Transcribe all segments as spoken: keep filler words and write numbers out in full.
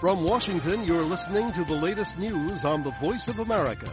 From Washington, you're listening to the latest news on the Voice of America.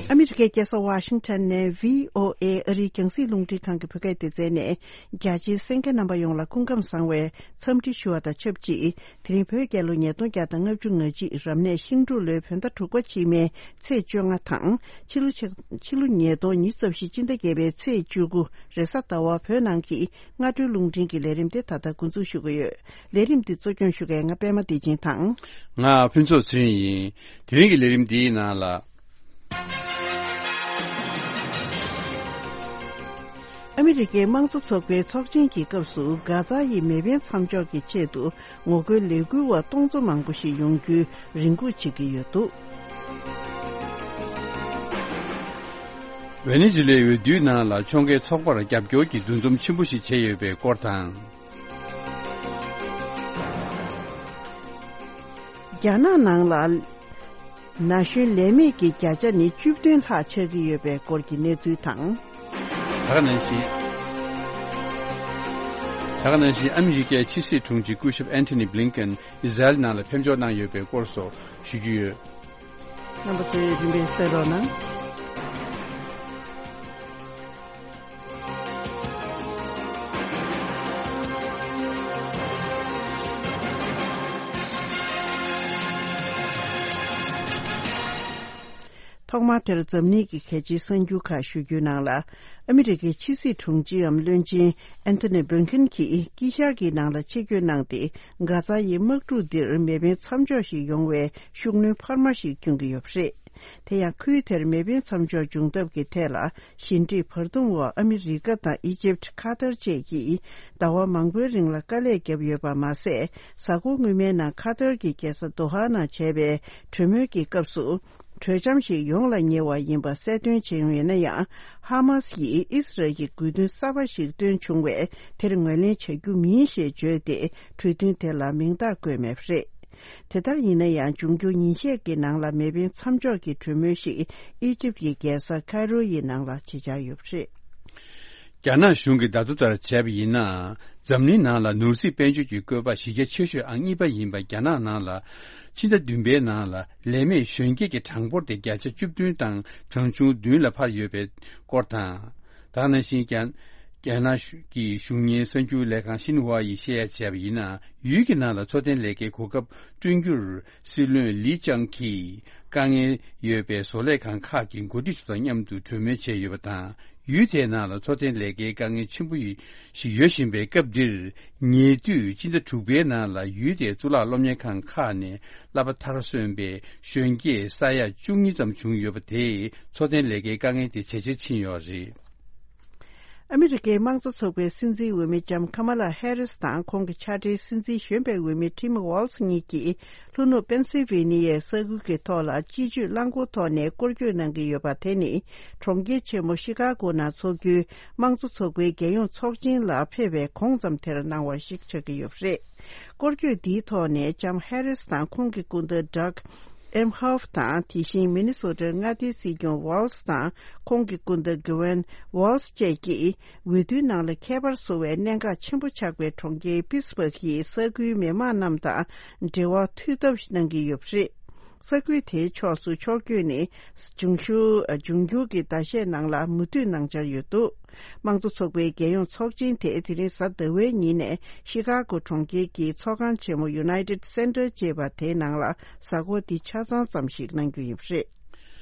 ཨ་མི་རི་ཀའི་རྒྱལ་ས་ཝ་ཤིང་ཊོན་ནས་བྷི་ཨོ་ཨེ་ཨ་རིའི་རྒྱང་སྲིང་རླུང་འཕྲིན་ཁང་གི་བོད་སྐད་སྡེ་ཚན་ནས། རྒྱ་ཆེའི་གསན་མཁན་རྣམ་པ་ཡོངས་ལ་སྐུ་ཁམས་བཟང་བའི་འཚམས་འདྲི་ཞུ་བ་དང་ཆབས་ཅིག་དེ་རིང་བོད་རྒྱལ་ལོ་ཉིས་སྟོང་བརྒྱ་དང་ལྔ་བཅུ་ང་གཅིག་རབ་གནས་ཤིང་འབྲུག་ལོའི་བོད་ཟླ་དྲུག་པ་ཕྱི་མའི་ཚེས་བཅོ་ལྔ་དང་། ཕྱི་ལོ་ཕྱི་ཕྱི་ལོ་ཉིས་སྟོང་ཉི་ཤུ་རྩ་བཞི་སྤྱི་ཟླ་བརྒྱད་པའི་ཚེས་བཅུ་དགུ་རེས་གཟའ་ཟླ་བ་བོད་ནང་གི་སྔ་དྲོའི་རླུང་འཕྲིན་གྱི་ལས་རིམ་དེ་ད་ལྟ་འགོ་འཛུགས་ཞུ་གི་ཡོད། ལས་རིམ་འདི་གཙོ་སྐྱོང་ཞུ་མཁན་ང་པད་མ་བདེ་ཆེན་དང་། ང་ཕུན་ཚོགས་ཚེ་རིང་ཡིན། དེ་རིང་གི་ལས་རིམ་འདིའི་ནང་ལ། ཨ་མི་རི་ཀའི་དམངས་གཙོ་ཚོགས་པའི་ཚོགས་ཆེན་གྱི་སྐབས་སུ་གྷ་ཛ་ཡི་མེ་འཕེན་མཚམས་འཇོག་གི་ཆེད་དུ་ངོ་རྒོལ་ལས་འགུལ་བ་སྟོང་ཚོ་མང་པོ་ཞིག་ཡོང་རྒྱུའི་རེ་སྒུག་བྱེད་ཀྱི་ཡོད་འདུག། ཝེ་ནེ་ཛུ་ལའི་འོས་བསྡུའི་ནང་ལ་ཕྱོགས་འགལ་ཚོགས་པར་རྒྱབ་སྐྱོར་གྱི་འདུ་འཛོམས་ཆེན་པོ་ཞིག་བྱས་ཡོད་པའི་སྐོར་དང་། རྒྱ་ནག་ནང་ལ་ན་གཞོན་ལས་མེད་ཀྱི་བརྒྱ་ཆ་ནི་བཅུ་བདུན་ལྷག་ཆགས་ཀྱི་ཡོད་པའི་སྐོར་གྱི་གནས་ཚུལ་དང་། ད་ག་ནང་བཞིན། ད་ག་ནང་བཞིན་ཨ་མི་རི་ཀའི་ཕྱི་སྲིད་དྲུང་ཆེ་སྐུ་ཞབས་ཨན་ཐོ་ནི་བྷི་ལིན་ཀན་ཨི་ཟ་རེལ་ནང་ལ་ཕེབས་འབྱོར་གནང་ཡོད་པའི་སྐོར་སོགས་ཞུ་རྒྱུ་ཡོད། རྣམ་པ་ཚོས་རིམ་པས་གསན་རོགས་གནང་། ཐོག་མར་དེར་འཛམ་གླིང་གི་གལ་ཆེའི་གསར་འགྱུར་ཁག་ཞུ་རྒྱུའི་ནང་ལ། ཨ་མི་རི་ཀའི་ཕྱི་སྲིད་དྲུང་ཆེའམ་བློན་ཆེན་ཨན་ཐོ་ནི་བྷི་ལིན་ཀན་གྱིས་དཀྱིལ་ཤར་གྱི་ནང་ལ་ཆེད་བསྐྱོད་གནང་སྟེ། གྷ་ཛ་ཡི་དམག་འཁྲུག་འདིར་མེ་འཕེན་མཚམས་འཇོག་ཞིག་ཡོང་བའི་ཤུགས་སྣོན་འཕར་མ་ཞིག་བསྐྱོན་གྱི་ཡོད་པ་རེད། དེ་ཡང་ཁུལ་དེར་མེ་འཕེན་མཚམས་འཇོག་འབྱུང་ཐབས་ཀྱི་ཐད་ལ་ཞི་འགྲིག་བར་འདུམ་འོག་ཨ་མི་རི་ཀ་དང་ཨི་ཇིབ། ཁ་ཐར་བཅས་ཀྱིས་ཟླ་བ་མང་པོའི་རིང་ལ་དཀའ་ལས་བརྒྱབ་ཡོད་པ་མ་ཟད། གཟའ་འཁོར་སྔོན་མའི་ནང་ཁ་ཐར་གྱི་རྒྱལ་ས་དོ་ཧ་ནང་བྱས་པའི་གྲོས་མོལ་གྱི་སྐབས་སུ། གྲོས་འཆམ་ཞིག་ཡོང་ལ་ཉེ་བ་ཡིན་པ་གསལ་སྟོན་བྱས་ཡོད་ན་ཡང་། ཧ་མ་སི་ཡིས་ཨི་སི་རལ་གྱི་དགོས་འདུན་གསར་པ་ཞིག་བཏོན་བྱུང་བས། དེར་ངོས་ལེན་བྱ་རྒྱུ་མིན་ཞེས་བརྗོད་དེ། གྲོས་མཐུན་དེ་ལ་མིང་རྟགས་བཀོད་མེད་པ་རེད། དེ་ལྟར་ཡིན་ན་ཡང་། འབྱུང་འགྱུར་ཉིན་ཤས་ཀྱི་ནང་ལ་མེ་འཕེན་མཚམས་འཇོག་གི་གྲོས་མོལ་ཞིག་ཨི་ཇིབ་ཀྱི་རྒྱལ་ས་ཁའི་རོ་ཡི་ནང་ལ་བྱེད་འཆར་ཡོད་པ་རེད། རྒྱ་ནག་གཞུང་གིས་བརྡ་ཐོ་ལྟར་བྱས་པ་ཡིན་ན། འཛམ་གླིང་ནང་ལ་ནོར་སྲིད་དཔལ་འབྱོར་གྱི་བཀོད་པ་གཞི་རྒྱ་ཆེ་ཤོས་ཨང་གཉིས་པ་ཡིན་པ་རྒྱ་ནག་ནང་ལ། ཕྱི་ཟླ་བདུན་པའི་ནང་ལ་ལས་མེད་གཞོན་སྐྱེས་ཀྱི་གྲངས་འབོར་དེ་བརྒྱ་ཆ་བཅུ་བདུན་དང་གྲངས་ཆུང་བདུན་ལ་འཕར་ཡོད་པའི་སྐོར་དང་། ད་ག་ནང་བཞིན་རྒྱ། རྒྱ་ནག་གི་གཞུང་གཉེར་གསར་འགྱུར་ལས་ཁང་ཤིན་ཧྭ་ཡིས་བཤད་ཡ་བྱས་པ་ཡིན་ན། ཡུལ་གྱི་ནང་ལ་འཚོ་རྟེན་ལས་ཀའི་གོ་སྐབས་བསྐྲུན་རྒྱུར། སྲིད་བློན་ལི་ཅང་གིས་དཀའ་ངལ་ཡོད་པའི་བཟོ་ལས་ཁང་ཁག་གི་འགོ་ཁྲིད་ཚོ་དང་མཉམ་དུ་གྲོས་མོལ་བྱས་ཡོད་པ་དང་། ཡུལ་དེའི་ནང་ལ་འཚོ་རྟེན་ལས་ཀའི་དཀའ་ངལ་ཆེན་པོ་ཞིག་ཡོད་བཞིན་པའི་སྐབས་འདིར། ཉེ་དུས་སྤྱི་ཟླ་དྲུག་པའི་ནང་ལ་ཡུལ་དེའི་གཙུག་ལག་སློབ་གཉེར་ཁང་ཁག་ནས་བསླབ་པ་མཐར་སོན་པའི་གཞོན་སྐྱེས་ས་ཡ་བཅུ་གཉིས་ཙམ་བྱུང་ཡོད་པ་དེས། འཚོ་རྟེན་ལས་ཀའི་དཀའ་ངལ་དེ་ཇེ་ཆེར་ཕྱིན་ཡོད་རེད། ཨ་མི་རི་ཀའི་དམངས་གཙོ་ཚོགས་པའི་སྲིད་འཛིན་འོས་མི་ལྕམ་ཁ་མ་ལ་ཧེ་རིས་དང་། ཁོང་གི་ཕྱག་སྦྲེལ་སྲིད་འཛིན་གཞོན་པའི་འོས་མི་ཊིམ་ཝོལ་ཚ་གཉིས་ཀྱིས། ལྷོ་ནུབ་པེན་སིལ་ཝེ་ནི་ཡའི་ས་ཁུལ་གྱི་ཐོག་ལ་སྤྱི་སྤྱོད་རླངས་འཁོར་ཐོག་ནས་སྐོར་སྐྱོད་གནང་གི་ཡོད་པ་དེ་ནི། གྲོང་ཁྱེར་ཆེན་མོ་ཤི་ཀ་གོ་ནང་འཚོགས་རྒྱུའི་དམངས་གཙོ་ཚོགས་པའི་རྒྱལ་ཡོངས་ཚོགས་ཆེན་ལ་ཕེབས་པའི་གོང་ཙམ་དེར་གནང་བ་ཞིག་ཆགས་ཀྱི་ཡོད་པ་རེད། སྐོར་སྐྱོད་འདིའི་ཐོག་ནས་ལྕམ་ཧེ་རིས་དང་ཁོང་གི་སྐུ་ཟླ་ཌག་ཨེམ་ཧོབ་དང་། དེ་བཞིན་མི་ནི་སོ་ཊའི་མངའ་སྡེའི་སྲིད་སྐྱོང་ཝོལ་ཚ་དང་། ཁོང་གི་སྐུ་ཟླ་གྷི་ཝན་ཝོལ་ཚ་བཅས་ཀྱིས། འོས་བསྡུའི་ནང་ལ་ཁྱད་པར་བཟོ་བའི་གནད་འགག་ཆེན་པོ་ཆགས་པའི་གྲོང་ཁྱེར་པིས་བྷག་གི་ས་ཁུལ་མི་མང་རྣམས་དང་འབྲེལ་བ་མཐུད་ཐབས་གནང་གི་ཡོད་པ་རེད། ས་ཁུལ་དེའི་ཕྱོགས་སུ་ཕྱོགས་བསྐྱོད་ནི། འབྱུང་ཞུ། འབྱུང་འགྱུར་གྱི་ཟླ་ཤས་ནང་ལ་མུ་མཐུད་གནང་འཆར་ཡོད་འདུག། དམངས་གཙོ་ཚོགས་པའི་རྒྱལ་ཡོངས་ཚོགས་ཆེན་དེ་དེ་རིང་གཟའ་ཟླ་བའི་ཉིན་ནས་ཤི་ཀ་གོ་གྲོང་ཁྱེར་གྱི་ཚོགས་ཁང་ཆེན་མོ་United Center ཅེས་པ་དེའི་ནང་ལ་གཟའ་འཁོར་འདི་ཆ་ཚང་ཙམ་ཞིག་གནང་རྒྱུ་ཡིན་པ་རེད།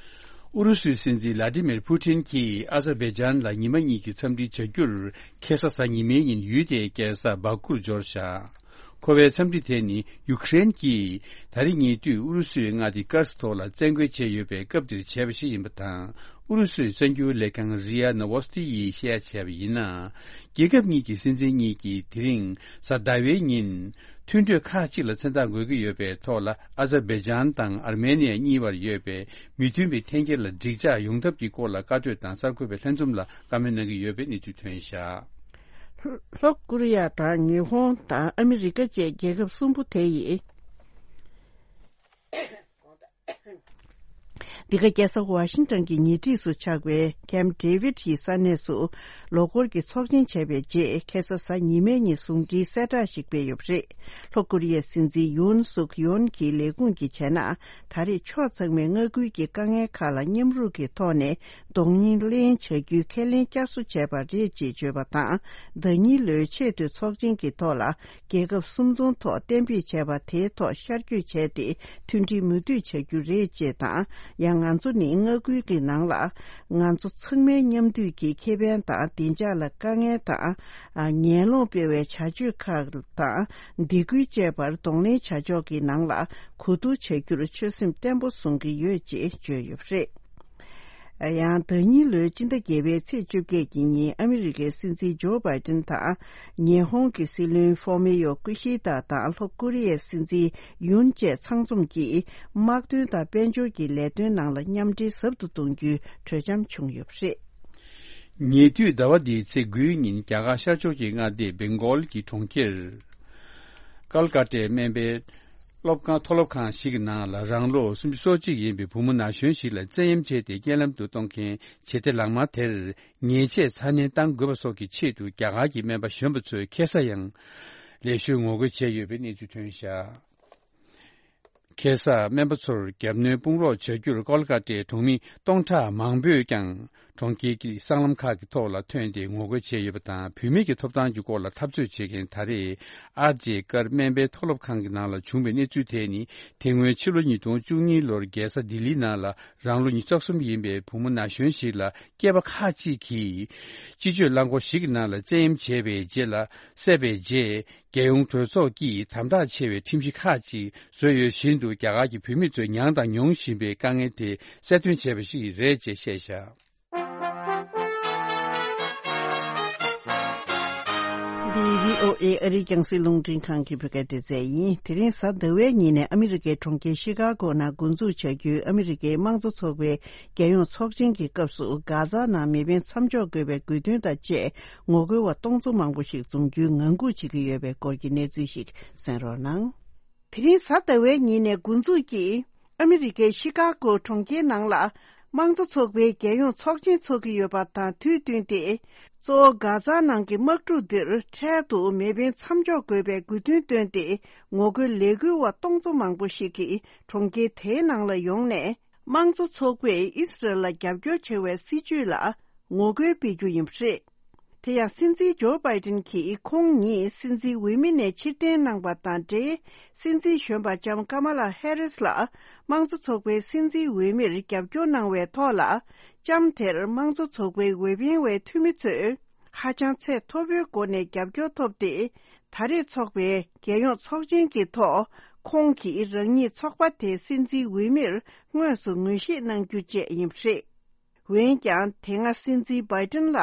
ཨུ་རུ་སུའི་སྲིད་འཛིན་ལ་ཏི་མིར་ཕུ་ཊིན་གྱིས་ཨ་ཛར་བྷེ་ཇན་ལ་ཉི་མ་གཉིས་ཀྱི་འཚམས་འདྲི་བྱ་རྒྱུར། ཁ་སང་གཟའ་ཉི་མའི་ཉིན་ཡུལ་དེའི་རྒྱལ་ས་བྷ་ཀུར་འབྱོར་བཞག། ཁོ་པའི་འཚམས་འདྲི་དེ་ནི་ཡུ་ཀེ་རེན་གྱིས་ད་རེས་ཉེ་དུས་ཨུ་རུ་སུའི་མངའ་སྡེ་ཀར་སི་ཐོག་ལ་བཙན་རྒོལ་བྱས་ཡོད་པའི་སྐབས་འདིར་བྱས་པ་ཞིག་ཡིན་པ་དང་། ཨུ་རུ་སུའི་གསར་འགྱུར་ལས་ཁང་རི་ཨ་ནོ་ཝོ་སི་ཏི་ཡིས་བཤད་བྱས་པ་ཡིན་ན། རྒྱལ་ཁབ་གཉིས་ཀྱི་སྲིད་འཛིན་གཉིས་ཀྱིས་དེ་རིང་གཟའ་ཟླ་བའི་ཉིན། མཐུན་གྲོས་ཁག་ཅིག་ལ་མཚན་རྟགས་འགོད་ཀྱི་ཡོད་པའི་ཐོག་ལ། ཨ་ཛར་བྷེ་ཇན་དང་ཨར་མེ་ནི་ཡ་གཉིས་བར་ཡོད་པའི་མི་མཐུན་པའི་འཐེན་འཁྱེར་ལ་འགྲིག་འཇགས་ཡོང་ཐབས་ཀྱི་སྐོར་ལ་བཀའ་གྲོས་དང་གསར་འགོད་པའི་ལྷན་འཛོམས་ལ་བཀའ་མོལ་གནང་གི་ཡོད་པའི་གནས་ཚུལ་ཐོན་བཞག། ལྷོ་ཀོ་རི་ཡ་དང་ཉི་ཧོང་དང་ཨ་མི་རི་ཀ་བཅས་རྒྱལ་ཁབ་གསུམ་པོ་དེ་ཡིས། འདི་ག་རྒྱལ་ས་ཝ་ཤིང་ཊོན་གྱི་ཉེ་འཁྲིས་སུ་ཆགས་པའི་ཀེམ་ཌེ་ཝིད་ཡི་ས་གནས་སུ་ལོ་འཁོར་གྱི་ཚོགས་ཆེན་བྱས་པའི་རྗེས། ཁ་སང་གཟའ་ཉི་མའི་ཉིན་ཟུང་འབྲེལ་གསལ་བསྒྲགས་ཤིག་སྤེལ་ཡོད་པ་རེད། ལྷོ་ཀོ་རི་ཡའི་སྲིད་འཛིན་ཡུན་སུག་ཡོན་གྱི་ལས་ཁུངས་ཀྱིས་བྱས་ན། ད་རེས་ཕྱོགས་ཚང་མས་མངའ་ཁུལ་གྱི་དཀའ་ངལ་ཁག་ལ་མཉམ་རུབ་ཀྱི་ཐོག་ནས་གདོང་ལེན་བྱ་རྒྱུའི་ཁས་ལེན་བསྐྱར་གསོ་བྱས་པ་རེད་ཅེས་བརྗོད་པ་དང་། ཟླ་ཉིན་ལོའི་ཆེས་མཐོའི་ཚོགས་ཆེན་གྱི་ཐོག་ལ། རྒྱལ་ཁབ་གསུམ་ཚོགས་ཐོག་གཏན་འབེབས་བྱས་པ་དེའི་ཐོག་ཤར་བསྐྱོད་བྱས་ཏེ། མཐུན་སྒྲིལ་མུ་མཐུད་བྱ་རྒྱུ་རེད་ཅེས་དང་། ཡང་ང་ཚོ་ནི་མངའ་ཁུལ་གྱི་ནང་ལ་ང་ཚོ་ཚང་མའི་མཉམ་འདུས་ཀྱི་ཁེ་ཕན་དང་། བདེ་འཇགས་ལ་དཀའ་ངལ་དང་། ཨ། ངན་སློང་སྤེལ་བའི་བྱ་སྤྱོད་ཁག་དང་། སྡིགས་སྐུལ་བཅས་པར་གདོང་ལེན་བྱ་ཕྱོགས་ཀྱི་ནང་ལ་གོ་བསྡུར་བྱ་རྒྱུར་ཆོད་སེམས་བརྟན་པོ་བཟུང་གི་ཡོད་ཅེས་བརྗོད་ཡོད་པ་རེད། ཡང་ཟླ་ཉིན་ལོའི་སྤྱི་ཟླ་བརྒྱད་པའི་ཚེས་བཅོ་བརྒྱད་ཀྱི་ཉིན། ཨ་མི་རི་ཀའི་སྲིད་འཛིན་ཇོ་བྷའི་ཏིན་དང་། ཉི་ཧོང་གི་སྲིད་བློན་ཧྥོ་མི་ཡོ་ཀི་ཤི་ད་དང་། ལྷོ་ཀོ་རི་ཡའི་སྲིད་འཛིན་ཡུན་བཅས་ཚང་འཛོམས་ཀྱིས་དམག་དོན་དང་དཔལ་འབྱོར་གྱི་ལས་དོན་ནང་ལ་མཉམ་འབྲེལ་ཟབ་ཏུ་གཏོང་རྒྱུའི་གྲོས་འཆམ་བྱུང་ཡོད་པ་རེད། ཉེ་དུས་ཟླ་བ་འདིའི་ཚེས་དགུའི་ཉིན། རྒྱ་གར་ཤར་ཕྱོགས་ཀྱི་མངའ་སྡེ་སྦེང་གོལ་གྱི་གྲོང་ཁྱེར་ཀལ་ཀ་ཏའི་སྨན་པའི་སློབ་ཁང་། མཐོ་སློབ་ཁང་ཞིག་གི་ནང་ལ་རང་ལོ་སུམ་ཅུ་སོ་གཅིག་ཡིན་པའི་བུ་མོ་ན་གཞོན་ཞིག་ལ་བཙན་གཡེམ་བྱས་ཏེ་རྐྱེན་ལམ་དུ་གཏོང་མཁན་བྱེད་གཏེ་ལག་དམར་དེར། ཉེས་ཆད་ཚ་ནན་གཏང་དགོས་པ་སོགས་ཀྱི་ཆེད་དུ། རྒྱ་གར་གྱི་སྨན་པ་གཞོན་པ་ཚོས་ཁ་སང་ཡང་ལེགས་ཤོམ་ངོ་རྒོལ་བྱས་ཡོད་པའི་གནས་ཚུལ་ཐོན་བཞག་ཁ་སང་སྨན་པ་ཚོར་རྒྱབ་གནོན་དཔུང་རོགས་བྱ་རྒྱུར་ཀོལ་ཀ་ཏའི་གྲོང་མི་སྟོང་ཕྲག་མང་པོས་ཀྱང་གྲོང་ཁྱེར་གྱི་སྲང་ལམ་ཁག་གི་ཐོག་ལ་ཐོན་ཏེ་ངོ་རྒོལ་བྱས་ཡོད་པ་དང་། བུད་མེད་ཀྱི་ཐོབ་ཐང་གི་སྐོར་ལ་འཐབ་རྩོད་བྱེད་མཁན། ད་རེས་ཨར་ཇེ་ཀར་སྨན་པའི་མཐོ་སློབ་ཁང་གི་ནང་ལ་བྱུང་བའི་གནས་ཚུལ་དེ་ནི། དེ་སྔོན་ཕྱི་ལོ་ཉིས་སྟོང་བཅུ་གཉིས་ལོར་རྒྱལ་ས་ལྡི་ལིའི་ནང་ལ་རང་ལོ་ཉི་ཤུ་རྩ་གསུམ་ཡིན་པའི་བུ་མོ་ན་གཞོན་ཞིག་ལ། སྐྱེས་པ་ཁག་ཅིག་གིས་སྤྱི་སྤྱོད་རླངས་འཁོར་ཞིག་གི་ནང་ལ་བཙན་གཡེམ་བྱས་པའི་རྗེས་ལ། བསད་པའི་རྗེས། རྒྱལ་ཡོངས་གྲོས་ཚོགས་ཀྱིས་དམ་དྲག་ཆེ་བའི་ཁྲིམས་གཞི་ཁག་ཅིག་བཟོས་ཡོད་བཞིན་དུ། རྒྱ་གར་གྱི་བུད་མེད་ཚོས་མྱངས་དང་མྱོང་བཞིན་པའི་དཀའ་ངལ་དེ་གསལ་སྟོན་བྱས་པ་ཞིག་རེད་ཅེས་བཤད་བཞག་འདི་བྷི་ཨོ་ཨེ་ཨ་རིའི་རྒྱང་སྲིང་རླུང་འཕྲིན་ཁང་གི་བོད་སྐད་སྡེ་ཚན་ཡིན། དེ་རིང་གཟའ་ཟླ་བའི་ཉིན་ནས་ཨ་མི་རི་ཀའི་གྲོང་ཁྱེར་ཤི་ཀ་གོ་ནང་འགོ་འཛུགས་བྱ་རྒྱུའི་ཨ་མི་རི་ཀའི་དམངས་གཙོ་ཚོགས་པའི་རྒྱལ་ཡོངས་ཚོགས་ཆེན་གྱི་སྐབས་སུ། གྷ་ཛ་ནང་མེ་འཕེན་མཚམས་འཇོག་དགོས་པའི་དགོས་འདུན་དང་བཅས། ངོ་རྒོལ་བ་སྟོང་ཚོ་མང་པོ་ཞིག་འཛོམས་རྒྱུའི་ངང་སྒུག་བྱེད་ཀྱི་ཡོད་པའི་སྐོར་གྱི་གནས་ཚུལ་ཞིག་གསན་རོགས་གནང་། དེ་རིང་གཟའ་ཟླ་བའི་ཉིན་ནས་འགོ་འཛུགས་ཀྱིས། ཨ་མི་རི་ཀའི་ཤི་ཀ་གོ་གྲོང་ཁྱེར་ནང་ལ། དམངས་གཙོ་ཚོགས་པའི་རྒྱལ་ཡོངས་ཚོགས་ཆེན་འཚོགས་ཀྱི་ཡོད་པ་དང་དུས་བསྟུན་ཏེ། གཙོ་བོ་གྷ་ཛ་ནང་གི་དམག་འཁྲུག་འདིར་འཕྲལ་དུ་མེ་འཕེན་མཚམས་འཇོག་དགོས་པའི་དགོས་འདུན་བཏོན་ཏེ། ངོ་རྒོལ་ལས་འགུལ་བ་སྟོང་ཚོ་མང་པོ་ཞིག་གིས་གྲོང་ཁྱེར་དེའི་ནང་ལ་ཡོང་ནས། དམངས་གཙོ་ཚོགས་པས་ཨི་སི་རལ་ལ་རྒྱབ་སྐྱོར་བྱ་བའི་སྲིད་བྱུས་ལ་ངོ་རྒོལ་སྤེལ་རྒྱུ་ཡིན་པ་རེད། དེ་ཡང་སྲིད་འཛིན་ཇོ་བྷའི་ཏིན་གྱིས་ཁོང་ཉིད་སྲིད་འཛིན་འོས་མི་ནས་ཕྱིར་འཐེན་གནང་པ་དང་འབྲེལ། སྲིད་འཛིན་གཞོན་པ་ལྕམ་ཀ་མ་ལ་ཧེ་རིས་ལ་དམངས་གཙོ་ཚོགས་པའི་སྲིད་འཛིན་འོས་མིར་རྒྱབ་སྐྱོར་གནང་བའི་ཐོག་ལ། ལྕམ་དེར་དམངས་གཙོ་ཚོགས་པའི་འོས་འཕེན་བའི་འཐུས་མི་ཚོས་ཧ་ཅང་ཚད་མཐོ་པོའི་སྒོ་ནས་རྒྱབ་སྐྱོར་ཐོབ་སྟེ། ད་རེས་འཚོགས་པའི་རྒྱལ་ཡོངས་ཚོགས་ཆེན་གྱི་ཐོག་ཁོང་གིས་རང་ཉིད་ཚོགས་པ་དེའི་སྲིད་འཛིན་འོས་མིར་དངོས་སུ་ངོས་བཞེས་གནང་རྒྱུ་བཅས་ཡིན་པ་རེད། འོན་ཀྱང་། དེ་སྔ་སྲིད་འཛིན་བྷའི་ཏིན་ལ་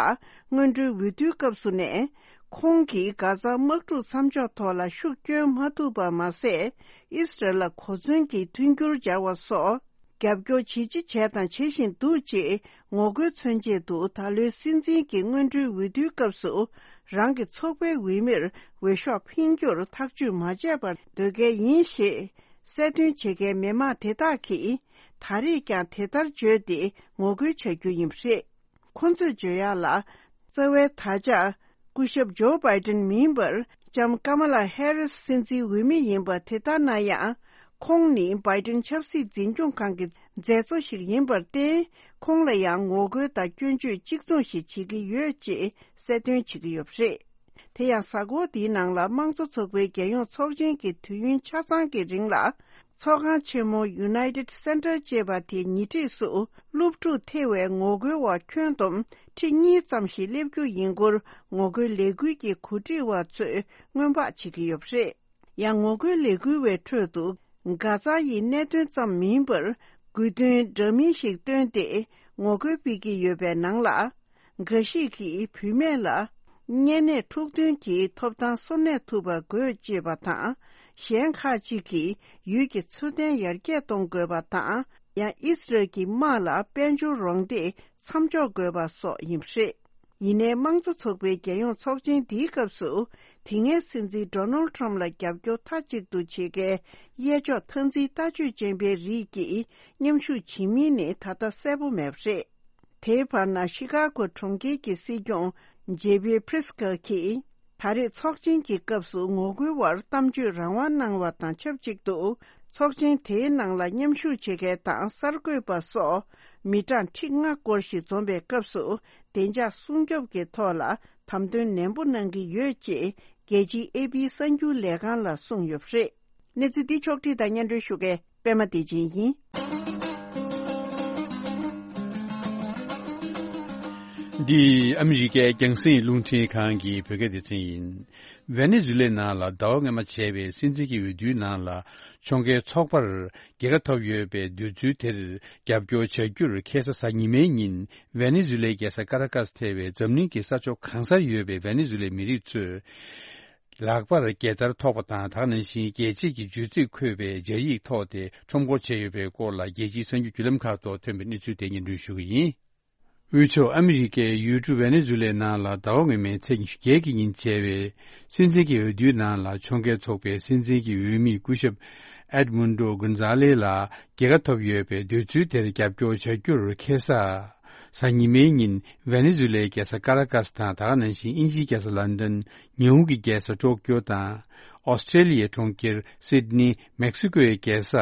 སྔོན་འགྲོའི་འོས་བསྡུའི་སྐབས་སུ་ནས། ཁོང་གིས་གྷ་ཛ་དམག་འཁྲུག་མཚམས་འཇོག་ཐོག་ལ་ཤུགས་བསྐྱོན་མ་ཐུབ་པ་མ་ཟད། ཨི་སི་རལ་ལ་གོ་མཚོན་གྱི་མཐུན་འགྱུར་སྦྱར་བ་སོགས། རྒྱབ་སྐྱོར་ཇི་ཆེ་བྱས་དང་བྱེད་བཞིན་འདུག་ཅེས་ངོ་རྒོལ་མཚོན་ཆེད་དུ། ད་ལོའི་སྲིད་འཛིན་གྱི་སྔོན་འགྲོའི་འོས་བསྡུའི་སྐབས་སུ། རང་གི་ཚོགས་པའི་འོས་མིར་འོས་ཤོག་འཕེན་རྒྱུར་ཐག་གཅོད་མ་བྱས་པར་སྡོད་གལ་ཡིན་ཞེས། གསལ་སྟོན་བྱེད་མཁན་མི་མང་དེ་དག་གིས། ད་རེས་ཀྱང་དེ་ལྟར་བརྗོད་དེ་ངོ་རྒོལ་བྱ་རྒྱུ་ཡིན་པ་རེད། ཁོ་ཚོས་བརྗོད་ཡག་ལ། རྩ་བའི་དར་ཆ། སྐུ་ཞབས་ཇོ་བྷའི་ཏིན་མིན་པར། ལྕམ་ཀ་མ་ལ་ཧེ་རིས་སྲིད་འཛིན་འོས་མི་ཡིན་པ་དེ་ལྟར་ན་ཡང་། ཁོང་ནི་བྷའི་ཏིན་ཆབ་སྲིད་འཛིན་སྐྱོང་ཁང་གི་མཛད་གཙོ་ཞིག་ཡིན་པར་བརྟེན། ཁོང་ལ་ཡང་ངོ་རྒོལ་དང་སྐྱོན་བརྗོད་གཅིག་མཚུངས་ཤིག་བྱེད་ཀྱི་ཡོད་ཅེས་གསལ་སྟོན་བྱེད་ཀྱི་ཡོད་པ་རེད། དེ་ཡང་། གཟའ་འཁོར་འདིའི་ནང་ལ་དམངས་གཙོ་ཚོགས་པའི་རྒྱལ་ཡོངས་ཚོགས་ཆེན་གྱི་དུས་ཡུན་ཆ་ཚང་གི་རིང་ལ། ཚོགས་ཁང་ཆེན་མོ་United Center ཅེས་པ་དེའི་ཉེ་འཁྲིས་སུ། སློབ་ཕྲུག་ཐེ་བའི་ངོ་རྒོལ་བ་ཁྱོན་བསྡོམས་ཁྲི་གཉིས་ཙམ་ཞིག་སླེབས་རྒྱུ་ཡིན་སྐོར། ངོ་རྒོལ་ལས་འགུལ་གྱི་གོ་སྒྲིག་པ་ཚོས་སྔོན་དཔག་བྱེད་ཀྱི་ཡོད་པ་རེད། ཡང་། ངོ་རྒོལ་ལས་འགུལ་བའི་ཁྲོད་དུ། གྷ་ཛ་ཡི་གནད་དོན་ཙམ་མིན་པར། དགོས་འདུན་འདྲ་མིན་ཞིག་བཏོན་ཏེ། ངོ་རྒོལ་སྤེལ་གྱི་ཡོད་པའི་ནང་ལ། འགའ་ཞིག་གིས་བུད་མེད་ལ། གཉན་ནད་འཁྲུག་དོན་གྱི་ཐོབ་ཐང་སོར་གནས་ཐུབ་པ་དགོས་ཅེས་པ་དང་། གཞན་ཁག་ཅིག་གིས་ཡུལ་གྱི་འཚོ་རྟེན་ཡར་རྒྱས་གཏོང་དགོས་པ་དང་། ཡང་ཨི་སི་རལ་གྱི་དམག་ལ་དཔལ་འབྱོར་རོགས་འདེགས་མཚམས་འཇོག་དགོས་པ་སོགས་ཡིན་པ་རེད། ཡིན་ནའི། དམངས་གཙོ་ཚོགས་པའི་རྒྱལ་ཡོངས་ཚོགས་ཆེན་འདིའི་སྐབས་སུ། དེ་སྔའི་སྲིད་འཛིན་ཌོ་ནལ་ཊམ་ལ་རྒྱབ་སྐྱོར་མཐའ་གཅིག་ཏུ་བྱེད་མཁན་གཡས་ཕྱོགས་མཐའ་འཛིན་ལྟ་སྤྱོད་ཅན་པའི་རིགས་ཀྱིས་མཉམ་ཞུགས་བྱེད་མིན་ནི་ད་ལྟ་གསལ་པོ་མེད་པ་རེད། དེའི་བར་ན་ཤི་ཀ་གོ་གྲོང་ཁྱེར་གྱི་སྲིད་སྐྱོང་ཇེ་བྷི་པྲིས་ཀ་གིས། ད་རེས་ཚོགས་ཆེན་གྱི་སྐབས་སུ་ངོ་རྒོལ་བར་གཏམ་བརྗོད་རང་དབང་གནང་བ་དང་ཆབས་ཅིག་ཏུ། ཚོགས་ཆེན་དེའི་ནང་ལ་མཉམ་ཞུགས་བྱེད་མཁན་དང་གསར་འགོད་པ་སོགས་མི་གྲངས་ཁྲི་ལྔ་སྐོར་ཞིག་འཛོམས་པའི་སྐབས་སུ། བདེ་འཇགས་སྲུང་སྐྱོབ་ཀྱི་ཐོག་ལ་དམ་དོན་ནན་པོ་གནང་གི་ཡོད་ཅེས་རྒྱལ་སྤྱིའི་ཨེ་པི་གསར་འགྱུར་ལས་ཁང་ལ་གསུངས་ཡོད་པ་རེད། གནས་ཚུལ་འདི་ཕྱོགས་བསྒྲིགས་དང་སྙན་སྒྲོན་ཞུ་མཁན་པད་མ་བདེ་ཆེན་ཡིན། འདི་ཨ་མི་རི་ཀའི་རྒྱང་སྲིང་རླུང་འཕྲིན་ཁང་གི་བོད་སྐད་སྡེ་ཚན་ཡིན། ཝེ་ནེ་ཛུ་ལའི་ནང་ལ་ཟླ་བ་སྔོན་མ་བྱས་པའི་སྲིད་འཛིན་གྱི་འོས་བསྡུའི་ནང་ལ་ཕྱོགས་འགལ་ཚོགས་པར་རྒྱལ་ཁ་ཐོབ་ཡོད་པའི་འདོད་ཚུལ་དེར་རྒྱབ་སྐྱོར་བྱ་རྒྱུར་ཁ་སང་གཟའ་ཉི་མའི་ཉིན་ཝེ་ནེ་ཛུ་ལའི་རྒྱལ་ས་ཀ་ར་ཀཱས་ཐེ་བའི་འཛམ་གླིང་གི་ས་ཕྱོགས་གང་སར་ཡོད་པའི་ཝེ་ནེ་ཛུ་ལའི་མི་རིགས་ཚོས། ལག་པར་རྒྱལ་དར་ཐོགས་པ་དང་། ད་ག་ནང་བཞིན་རྒྱལ་གཅེས་ཀྱི་བརྗོད་ཚིག་འཁོད་པའི་སྦྱར་ཡིག་ཐོགས་ཏེ་ཁྲོམ་སྐོར་བྱས་ཡོད་པའི་སྐོར་ལ་རྒྱལ་སྤྱིའི་གསར་འགྱུར་བརྒྱུད་ལམ་ཁག་ཐོག་ཐོན་པའི་གནས་ཚུལ་དེ་སྙན་སྒྲོན་ཞུ་གི་ཡིན། དབུས་ཕྱོགས་ཨ་མི་རི་ཀའི་ཡུལ་གྲུ་ཝེ་ནེ་ཛུ་ལའི་ནང་ལ་ཟླ་བ་སྔོན་མའི་ཚེས་ཉི་ཤུ་བརྒྱད་ཀྱི་ཉིན་བྱས་པའི་སྲིད་འཛིན་གྱི་འོས་བསྡུའི་ནང་ལ་ཕྱོགས་འགལ་ཚོགས་པའི་སྲིད་འཛིན་གྱི་འོས་མི་སྐུ་ཞབས་ཨེད་མུན་ཌོ་གོན་ཛ་ལེ་ལ་རྒྱལ་ཁ་ཐོབ་ཡོད་པའི་འདོད་ཚུལ་དེར་རྒྱབ་སྐྱོར་བྱ་རྒྱུར་ཁ་སང་གཟའ་ཉི་མའི་ཉིན་ཝེ་ནེ་ཛུ་ལའི་རྒྱལ་ས་ཀ་ར་ཀཱས་དང་། ད་ག་ནང་བཞིན་དབྱིན་ཇིའི་རྒྱལ་ས་ལན་ཌན། ཉི་ཧོང་གི་རྒྱལ་ས་ཊོ་ཀྱོ་དང་། ཨོ་སི་ཀྲེ་ལི་ཡའི་གྲོང་ཁྱེར་སིད་ནི། མེག་སི་ཀོའི་རྒྱལ་ས་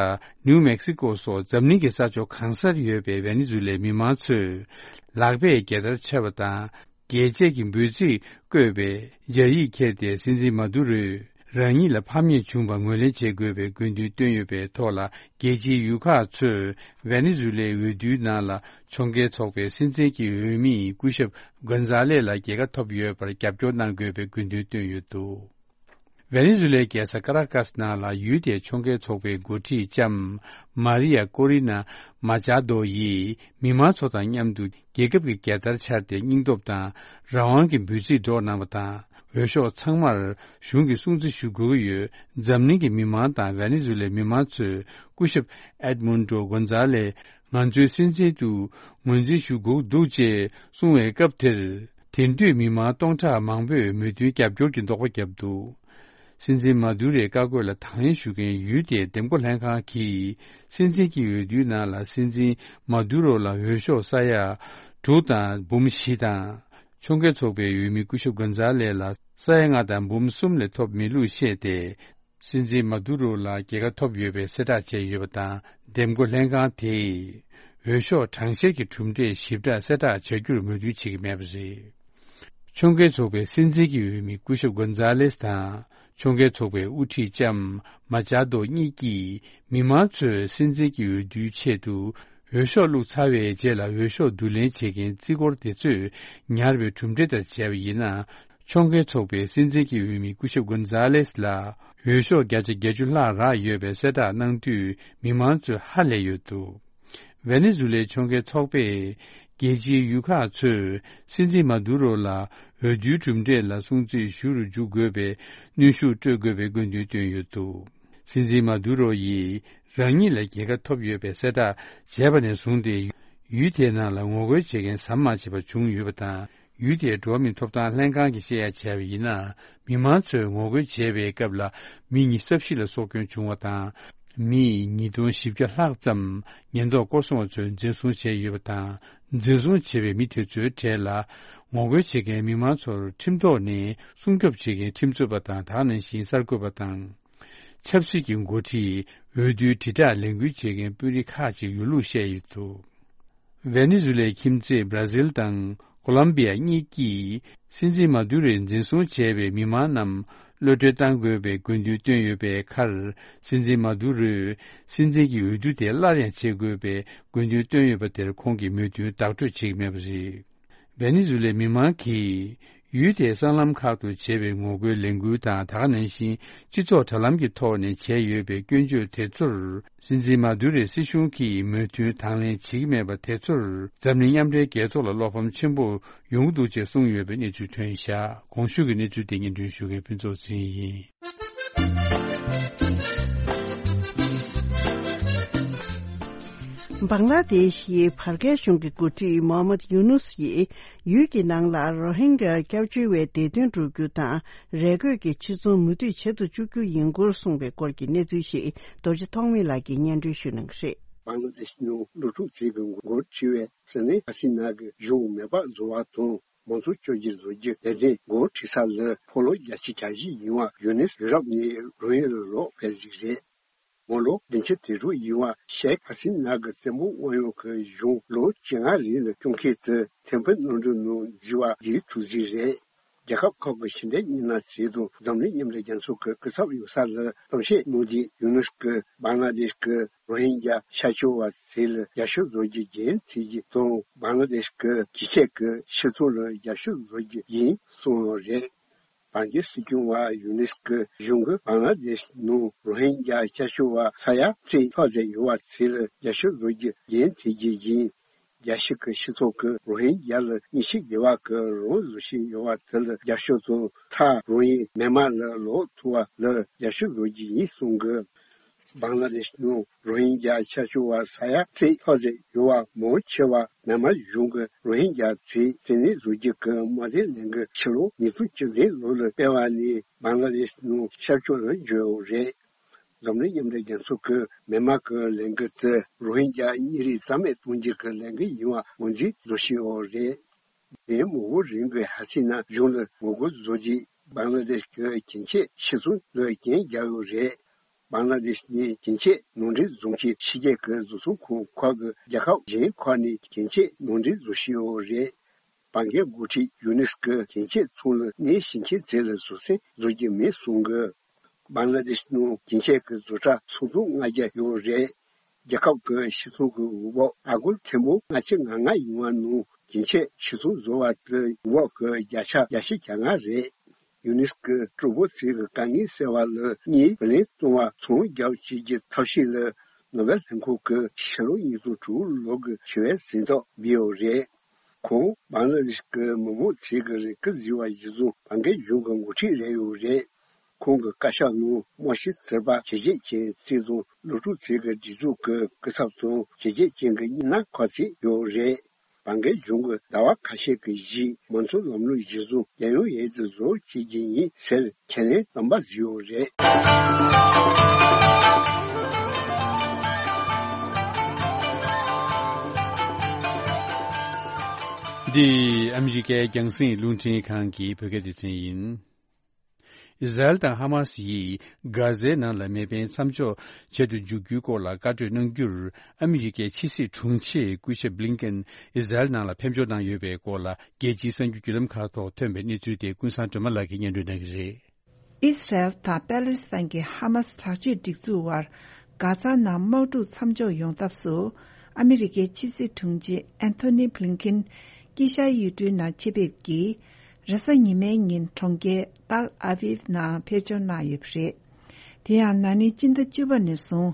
ནིའུ་མེག་སི་ཀོ་སོགས་འཛམ་གླིང་གི་ས་ཕྱོགས་གང་སར་ཡོད་པའི་ཝེ་ནེ་ཛུ་ལའི་མི་མང་ཚོས་ལག་པས་རྒྱལ་དར་འཕྱར་བ་དང་། རྒྱལ་གཅེས་ཀྱི་འབོད་ཚིག་བཀོད་པའི་སྦྱར་ཡིག་ཁྱེར་ཏེ། སྲིད་འཛིན་མ་དུ་རོས་རང་ཉིད་ལ་ཕམ་ཉེས་བྱུང་བ་ངོས་ལེན་བྱེད་དགོས་པའི་དགོས་འདུན་བཏོན་ཡོད་པའི་ཐོག་ལ། རྒྱལ་སྤྱིའི་ཡུལ་ཁག་ཚོས་ཝེ་ནེ་ཛུ་ལའི་འོས་བསྡུའི་ནང་ལ་ཕྱོགས་འགལ་ཚོགས་པའི་སྲིད་འཛིན་གྱི་འོས་མི་སྐུ་ཞབས་གོན་ཛ་ལེ་ལ་རྒྱལ་ཁ་ཐོབ་ཡོད་པར་རྒྱབ་སྐྱོར་གནང་དགོས་པའི་དགོས་འདུན་བཏོན་ཡོད་འདུག་ཝེ་ནེ་ཛུ་ལའི་རྒྱལ་ས་ཀ་ར་ཀཱས་ནང་ལ་ཡུལ་དེའི་ཕྱོགས་འགལ་ཚོགས་པའི་འགོ་ཁྲིད་ལྕམ་མཱ་རི་ཡ་ཀོ་རི་ན་མཱ་ཅཱ་དོ་ཡིས་མི་མང་ཚོ་དང་མཉམ་དུ་རྒྱལ་ཁབ་ཀྱི་རྒྱལ་དར་འཕྱར་ཏེ་སྙིང་སྟོབས་དང་རང་དབང་གི་འབོད་ཚིག་སྒྲོག་གནང་བ་དང་། འོས་ཤོག་ཚང་མར་གཞུང་གིས་སྲུང་བརྩི་ཞུ་དགོས་ཀྱི་ཡོད། འཛམ་གླིང་གི་མི་མང་དང་ཝེ་ནེ་ཛུ་ལའི་མི་མང་ཚོས་སྐུ་ཞབས་ཨེད་མུན་ཌོ་གོན་ཛ་ལེ་ང་ཚོའི་སྲིད་འཛིན་དུ་ངོས་འཛིན་ཞུ་དགོས་འདུག་ཅེས་གསུངས་པའི་སྐབས་དེར། དེང་དུས་མི་མང་སྟོང་ཕྲག་མང་པོས་མོས་མཐུན་རྒྱབ་སྐྱོར་གྱི་བསྟོད་པ་བརྒྱབ་འདུག་སྲིད་འཛིན་མ་དུ་རོའི་བཀའ་བཀོད་ལ་དང་ལེན་ཞུ་མཁན་ཡུལ་དེའི་འདེམས་བསྐོ་ལྷན་ཁང་གིས། སྲིད་འཛིན་གྱི་འོས་བསྡུའི་ནང་ལ་སྲིད་འཛིན་མ་དུ་རོ་ལ་འོས་ཤོག་ས་ཡ་དྲུག་དང་འབུམ་བཞི་དང་། ཕྱོགས་འགལ་ཚོགས་པའི་འོས་མི་སྐུ་ཞབས་གོན་ཛ་ལེ་ལ་ས་ཡ་ལྔ་དང་འབུམ་གསུམ་ལས་ཐོབ་མེད་ལུགས་བཤད་དེ། སྲིད་འཛིན་མ་དུ་རོ་ལ་རྒྱལ་ཁ་ཐོབ་ཡོད་པའི་གསལ་བསྒྲགས་བྱས་ཡོད་པ་དང་། འདེམས་བསྐོ་ལྷན་ཁང་དེས་འོས་ཤོག་གྲངས་བཤེར་གྱི་གྲུབ་འབྲས་ཞིབ་ཕྲ་གསལ་བསྒྲགས་བྱ་རྒྱུར་མོས་མཐུན་བྱེད་ཀྱི་མེད་པ་རེད། ཕྱོགས་འགལ་ཚོགས་པའི་སྲིད་འཛིན་གྱི་འོས་མི་སྐུ་ཞབས་གོན་ཛ་ལེས་དང་། ཕྱོགས་འགལ་ཚོགས་པའི་དབུ་ཁྲིད་ལྕམ་མ་ཅཱ་དོ་གཉིས་ཀྱིས། མི་མང་ཚོས་སྲིད་འཛིན་གྱི་འོས་བསྡུའི་ཆེད་དུ་འོས་ཤོག་བླུགས་ཚར་བའི་རྗེས་ལ། འོས་ཤོག་བསྡུ་ལེན་བྱེད་མཁན་རྩིས་འཁོར་དེ་ཚོས་ཉར་བའི་གྲུབ་འབྲས་ལྟར་བྱས་པ་ཡིན་ན། ཕྱོགས་འགལ་ཚོགས་པའི་སྲིད་འཛིན་གྱི་འོས་མི་སྐུ་ཞབས་གོན་ཛ་ལེས་ལ་འོས་ཤོག་བརྒྱ་ཆ་བརྒྱད་ཅུ་ལྷག་རག་ཡོད་པའི་གསལ་བསྒྲགས་གནང་དུས། མི་མང་ཚོས་ཧ་ལས་ཡོད་འདུག་ཝེ་ནེ་ཛུ་ལའི་ཕྱོགས་འགལ་ཚོགས་པས། རྒྱལ་སྤྱིའི་ཡུལ་ཁག་ཚོས་སྲིད་འཛིན་མ་དུ་རོ་ལ་འོས་བསྡུའི་གྲུབ་འབྲས་ལ་སྲུང་བརྩི་ཞུ་རུ་འཇུག་དགོས་པའི་གནོན་ཤུགས་སྤྲོད་དགོས་པའི་དགོས་འདུན་བཏོན་ཡོད་འདུག་སྲིད་འཛིན་མ་དུ་རོ་ཡིས་རང་ཉིད་ལ་རྒྱལ་ཁ་ཐོབ་ཡོད་པའི་གསལ་བསྒྲགས་བྱས་པ་ནས་བཟུང་སྟེ། ཡུལ་དེའི་ནང་ལ་ངོ་རྒོལ་བྱེད་མཁན་ཟམ་མ་ཆད་པ་བྱུང་ཡོད་པ་དང་། ཡུལ་དེའི་འགྲོ་བ་མིའི་ཐོབ་ཐང་ལྷན་ཁང་གིས་བཤད་ཡ་བྱས་པ་ཡིན་ན། མི་མང་ཚོས་ངོ་རྒོལ་བྱས་པའི་སྐབས་ལ་མི་ཉི་ཤུ་རྩ་བཞི་ལ་སྲོག་སྐྱོན་བྱུང་བ་དང་། མི་ཉིས་སྟོང་བཞི་བརྒྱ་ལྷག་ཙམ་ཉེན་རྟོག་སྐོར་སྲུང་བ་ཚོས་འཛིན་བཟུང་བྱས་ཡོད་པ་དང་། འཛིན་བཟུང་བྱས་པའི་མི་དེ་ཚོའི་གྲས་ལ་ངོ་རྒོལ་བྱེད་མཁན་མི་མང་ཚོར་ཁྲིམས་ཐོག་ནས་སྲུང་སྐྱོབ་བྱེད་མཁན་ཁྲིམས་རྩོད་པ་དང་། ད་ག་ནང་བཞིན་གསར་འགོད་པ་དང་། ཆབ་སྲིད་ཀྱི་འགོ་ཁྲིད། འོས་བསྡུའི་དྲིལ་བསྒྲགས་ལས་འགུལ་བྱེད་མཁན་དཔོན་རིགས་ཁག་ཅིག་ཡོད་ལུགས་བཤད་ཡོད་འདུག་ཝེ་ནེ་ཛུ་ལའི་ཁྱིམ་མཚེས་བྷ་ར་ཟིལ་དང་ཀོ་ལམ་བི་ཡ་གཉིས་ཀྱིས་སྲིད་འཛིན་མ་དུ་རོས་འཛིན་བཟུང་བྱས་པའི་མི་མང་རྣམས་གློད་གྲོལ་གཏང་དགོས་པའི་དགོས་འདུན་བཏོན་ཡོད་པའི་ཁར། སྲིད་འཛིན་མ་དུ་རོས་སྲིད་འཛིན་གྱི་འོས་བསྡུ་དེ་སླར་ཡང་བྱེད་དགོས་པའི་དགོས་འདུན་བཏོན་ཡོད་པ་དེར་ཁོང་གིས་མོས་མཐུན་བདག་སྤྲོད་བྱེད་ཀྱི་མེད་པ་རེད། ཝེ་ནེ་ཛུ་ལའི་མི་མང་གིས་ཡུལ་དེའི་སྲང་ལམ་ཁག་ཏུ་བྱས་པའི་ངོ་རྒོལ་ལས་འགུལ་དང་། ད་ག་ནང་བཞིན་སྤྱི་ཚོགས་དྲ་ལམ་གྱི་ཐོག་ནས་བྱས་ཡོད་པའི་སྐྱོན་བརྗོད་དེ་ཚོར། སྲིད་འཛིན་མ་དུ་རོའི་སྲིད་གཞུང་གིས་མོས་མཐུན་དང་ལེན་བྱེད་ཀྱི་མེད་པ་དེ་ཚོར། འཛམ་གླིང་མཉམ་འབྲེལ་རྒྱལ་ཚོགས་ལ་བློ་ཕམ་ཆེན་པོ་ཡོང་གི་འདུག་ཅེས་གསུངས་ཡོད་པའི་གནས་ཚུལ་ཐོན་བཞག་གོང་ཞུས་ཀྱི་གནས་ཚུལ་དེ་སྙན་སྒྲོན་ཞུ་མཁན་ཕུན་ཚོགས་ཚེ་རིང་ཡིན། བང་ལ་དེ་ཤི་ཡི་བར་བརྒལ་གཞུང་གི་འགོ་ཁྲིད་མོ་ཧམ་མད་ཡུ་ནུས་ཡིས་ཡུལ་གྱི་ནང་ལ་རོ་ཧིན་གྱི་སྐྱབས་བཅོལ་བའི་བདེ་དོན་སྒྲུབ་རྒྱུ་དང་རས་གོས་ཀྱི་ཕྱིར་ཚོང་མུ་མཐུད་བྱེད་དུ་བཅུག་རྒྱུ་ཡིན་སྐོར་གསུངས་པའི་སྐོར་གྱི་གནས་ཚུལ་ཞིག་རྡོ་རྗེ་ཐོགས་མེད་ལགས་ཀྱིས་སྙན་སྒྲོན་ཞུ་གནང་གི་རེད། བང་ལ་དེ་ཤི་ནང་སློབ་ཕྲུག་ཚོའི་འགོ་ཁྲིད་པའི་ཟི་ནི་ཧ་སི་ན་གི་གཞུང་མེ་སྤར་བཟོ་བ་དང་། མང་ཚོགས་བཅོ་བརྒྱད་བཟོ་རྒྱུ་དེ་ཚོའི་འགོ་ཁྲིད་ས་ལ་ཕོ་ལོ་བརྒྱད་ཅུ་གྱ་བཞི་ཡིན་པ་ཡུ་ནེས་ཡུ་རོབ་ནས་རོ་ཧིན་ལ་ལོག་ཕེབས་ཟིག་རེད། མོ་ལོ་བདུན་ཅུ་དོན་དྲུག་ཡིན་པ་ཤེག་ཧ་སི་ན་གི་བཙན་པོ་དབང་ཡོད་ཀྱི་གཞུང་ལོ་བཅོ་ལྔ་རིང་ལ་སྐྱོང་མཁན་དེ་ཐེམ་ཕུ་གནམ་གྲུ་ནང་འཛུལ་བ་རྒྱལ་ཐུབ་ཟིག་རེད། རྒྱལ་ཁབ་ཁག་གི་ཕྱི་འབྲེལ་མི་སྣ་ཚོས་དང་འཛམ་གླིང་མཉམ་འབྲེལ་རྒྱལ་ཚོགས་ཀྱི་སྐུ་ཚབ་ཡོད་ས་ལ་གཏམ་བཤད་གནང་དུས་ཡུ་ནུས་ཀྱིས་བང་ལ་དེཤ་གི་རོ་ཧིན་རྒྱ་ཤར་ཕྱོགས་པ་ཚོ་ལ་རྒྱབ་སྐྱོར་བཟོ་རྒྱུ་རྒྱུན་མཐུད་རྒྱུ་དང་། བང་ལ་དེཤ་གི་ཁྱི་སྐྱེས་ཀྱི་ཕྱི་ཚོང་ལ་རྒྱབ་སྐྱོར་བཟོ་རྒྱུ་ཡིན་གསུངས་ཡོད་རེད། བར་བརྒལ་སྲིད་སྐྱོང་བ་ཡུ་ནུས་ཀྱི་གཞུང་གིས་བང་ལ་དེཤ་ནང་རོ་ཧིན་རྒྱ་ཤར་ཕྱོགས་པ་ས་ཡ་ཚེག་ལྷག་ཙམ་ཡོད་པ་ཚོ་ལ་རྒྱབ་སྐྱོར་བཟོ་རྒྱུ་རྒྱུན་མཐུད་རྒྱུ་ཡིན། རྒྱལ་སྤྱི་གི་སྤྱི་ཚོགས་ཀྱིས་རོ་ཧིན་རྒྱ་ལ་མཉེས་ཆས་རྒྱག་པ་གི་རང་བཟོ་བཞིན་ཡོད་པ་དེ་ལ་རྒྱབ་སྐྱོར་དང་། མཐར་རོ་ཧིན་མེན་མར་ལ་ལོག་ཐུབ་པ་ལ་རྒྱབ་སྐྱོར་བཟོ་རྒྱུ་ཡིན་གསུངས་གི། བང་ལ་དེཤ་ནང་རོ་ཧིན་རྒྱ་ཤར་ཕྱོགས་པ་ས་ཡ་ཚེག་ལྷག་ཙམ་ཡོད་པ་མང་ཆེ་བ་མེན་མར་གཞུང་གིས་རོ་ཧིན་རྒྱ་ཚོའི་བཙན་གནོན་བཟོ་རྒྱུ་གི་དམག་དོན་ལས་འགུལ་ཕྱི་ལོ་ཉིས་སྟོང་བཅུ་བདུན་ལོ་ལ་སྤེལ་བ་ནས་བང་ལ་དེཤ་ནང་ཤར་ཕྱོགས་ལ་འབྱོར་ཡོད་རེད། འཛམ་གླིང་མཉམ་འབྲེལ་རྒྱལ་ཚོགས་ཀྱིས་མེན་མར་གྱི་ལས་འགུལ་དེ་རོ་ཧིན་རྒྱ་གཉིས་རིགས་རྩ་མེད་གཏོང་རྒྱུ་གི་ལས་འགུལ་ཡིན་པ་ངོས་འཛིན་བཟོ་བཞིན་ཡོད་རེད། ལན་མང་པོ་རིང་གི་ཧ་སི་ན་གཞུང་ལ་ངོ་རྒོལ་བཟོ་རྒྱུ། བང་ལ་དེཤ་གི་ཁྱི་སྐྱེས་ཕྱི་ཚོང་ལ་རྐྱེན་བརྒྱབ་ཡོད་རེད། བང་ལ་དེཤ་ནི་ཁྱི་སྐྱེས་ནང་འདྲེན་བཟོ་མཁན་ཕྱི་རྒྱལ་གྱི་བཟོ་ཚོང་ཁང་ཁག་གི་རྒྱལ་ཁབ་གཞན་ཁག་ནས་ཁྱི་སྐྱེས་ནང་འདྲེན་བཟོ་བཞིན་ཡོད་རེད། བང་གའི་འགོ་ཁྲིད་ཡུ་ནུས་ཀྱིས་ཁྱི་སྐྱེས་ཚོང་ལ་གནས་བཞིན་མཁན་ཚོ་ལ་བཟོ་སྲན་བཟོ་རྒྱུ་མེད་གསུངས་གི། བང་ལ་དེཤ་ནང་ཁྱི་སྐྱེས་ཀྱི་བཟོ་གྲྭ་ཚོགས་དུང་ལྔ་བརྒྱ་ཡོད་རེད། རྒྱལ་ཁབ་ཀྱི་སྤྱི་ཚོགས་ཀྱི་འོས་འབབ་ཨ་སྒོར་ཐེར་འབུམ་ལྔ་བཅུ་ང་ལྔ་ཡོང་བ་ནང་ཁྱི་སྐྱེས་ཕྱི་ཚོང་བཟོ་བ་དེ་འོས་འབབ་ཀྱི་བརྒྱ་ཆ་བརྒྱད་ཅུ་གྱ་ལྔ་རེད། ཡུ་ནུས་ཀྱིས་གྲོགས་པོ་ཚོའི་དཀའ་ངལ་སེལ་བ་ལ་དངུལ་བུན་ལེན་གཏོང་བར་ཚོང་རྒྱག་བྱེད་ཀྱི་ཐབས་ཤེས་ལ་ནོ་བེལ་ལྷན་ཁང་གིས་ཕྱི་ལོ་ཉིས་སྟོང་དྲུག་ལོ་གི་ཞི་བའི་གཟེངས་རྟགས་འབུལ་ཡོད་རེད། ཁོང་བང་ལ་དེཤ་གི་མི་མང་ཚོའི་རེ་སྐུལ་གཟིགས་པ་གཞིར་བཟུང་བང་གའི་གཞུང་གི་འགོ་ཁྲིད་རེད་ཡོད་རེད། ཁོང་གི་བཀའ་ཤག་ནང་རྨང་གཞི་ཚོགས་པ་བྱས་རྗེས་ཅན་ཚོ་དང་སློབ་ཕྲུག་ཚོའི་སྒྲིག་འཛུགས་ཀྱི་སྐུ་ཚབ་དང་བྱས་རྗེས་ཅན་གྱི་མི་སྣ་ཁག་ཅིག་ཡོད་རེད། བང་གའི་གཞུང་གིས་ཟླ་བ་ཁ་ཤས་ཀྱི་རྗེས་མང་གཙོའི་ལམ་ལུགས་གཞིར་བཟུང་རྒྱལ་ཡོངས་འོས་བསྡུ་བཟོ་བྱེད་ཀྱི་ཡིན་ཟེར་ཁས་ལེན་དམ་པ་བཟོས་ཡོད་རེད། འདི་ཨ་མི་རི་ཀའི་རྒྱང་སྲིང་རླུང་འཕྲིན་ཁང་གི་བོད་སྐད་སྡེ་ཚན་ཡིན། ཨི་ཟ་རེལ་དང་ཧ་མ་སི་ཡིས་གྷ་ཟའི་ནང་ལ་མེ་འཕེན་མཚམས་འཇོག་བྱེད་དུ་འཇུག་རྒྱུའི་སྐོར་ལ་བཀའ་གྲོས་གནང་རྒྱུར་ཨ་མི་རི་ཀའི་ཕྱི་སྲིད་དྲུང་ཆེ་སྐུ་ཞབས་བྷི་ལིན་ཀེན་ཨི་ཟ་རེལ་ནང་ལ་ཕེབས་འབྱོར་གནང་ཡོད་པའི་སྐོར་ལ་རྒྱལ་སྤྱིའི་གསར་འགྱུར་བརྒྱུད་ལམ་ཁག་ཐོག་ཐོན་པའི་གནས་ཚུལ་དེ་ཀུན་བཟང་སྒྲོལ་མ་ལགས་ཀྱིས་སྙན་སྒྲོན་གནང་གི་རེད། ཨི་སི་རལ་དང་པེ་ལི་སི་ཐན་གྱི་ཧ་མ་སི་དྲག་སྤྱོད་སྒྲིག་འཛུགས་དབར་གྷ་ཛ་ནང་དམག་འཁྲུག་མཚམས་འཇོག་ཡོང་ཐབས་སུ་ཨ་མི་རི་ཀའི་ཕྱི་སྲིད་དྲུང་ཆེ་ཨན་ཐོ་ནི་བྷི་ལིན་ཀིན་དཀྱིལ་ཤར་ཡུལ་གྲུའི་ནང་ཆེད་ཕེབས་ཀྱིས་རེས་གཟའ་ཉི་མའི་ཉིན་གྲོང་ཁྱེར་ཏཱལ་ཨ་བིབ་ནང་ཕེབས་འབྱོར་གནང་ཡོད་པ་རེད། དེ་ཡང་ན་ནིང་སྤྱི་ཟླ་བཅུ་པ་ནས་བཟུང་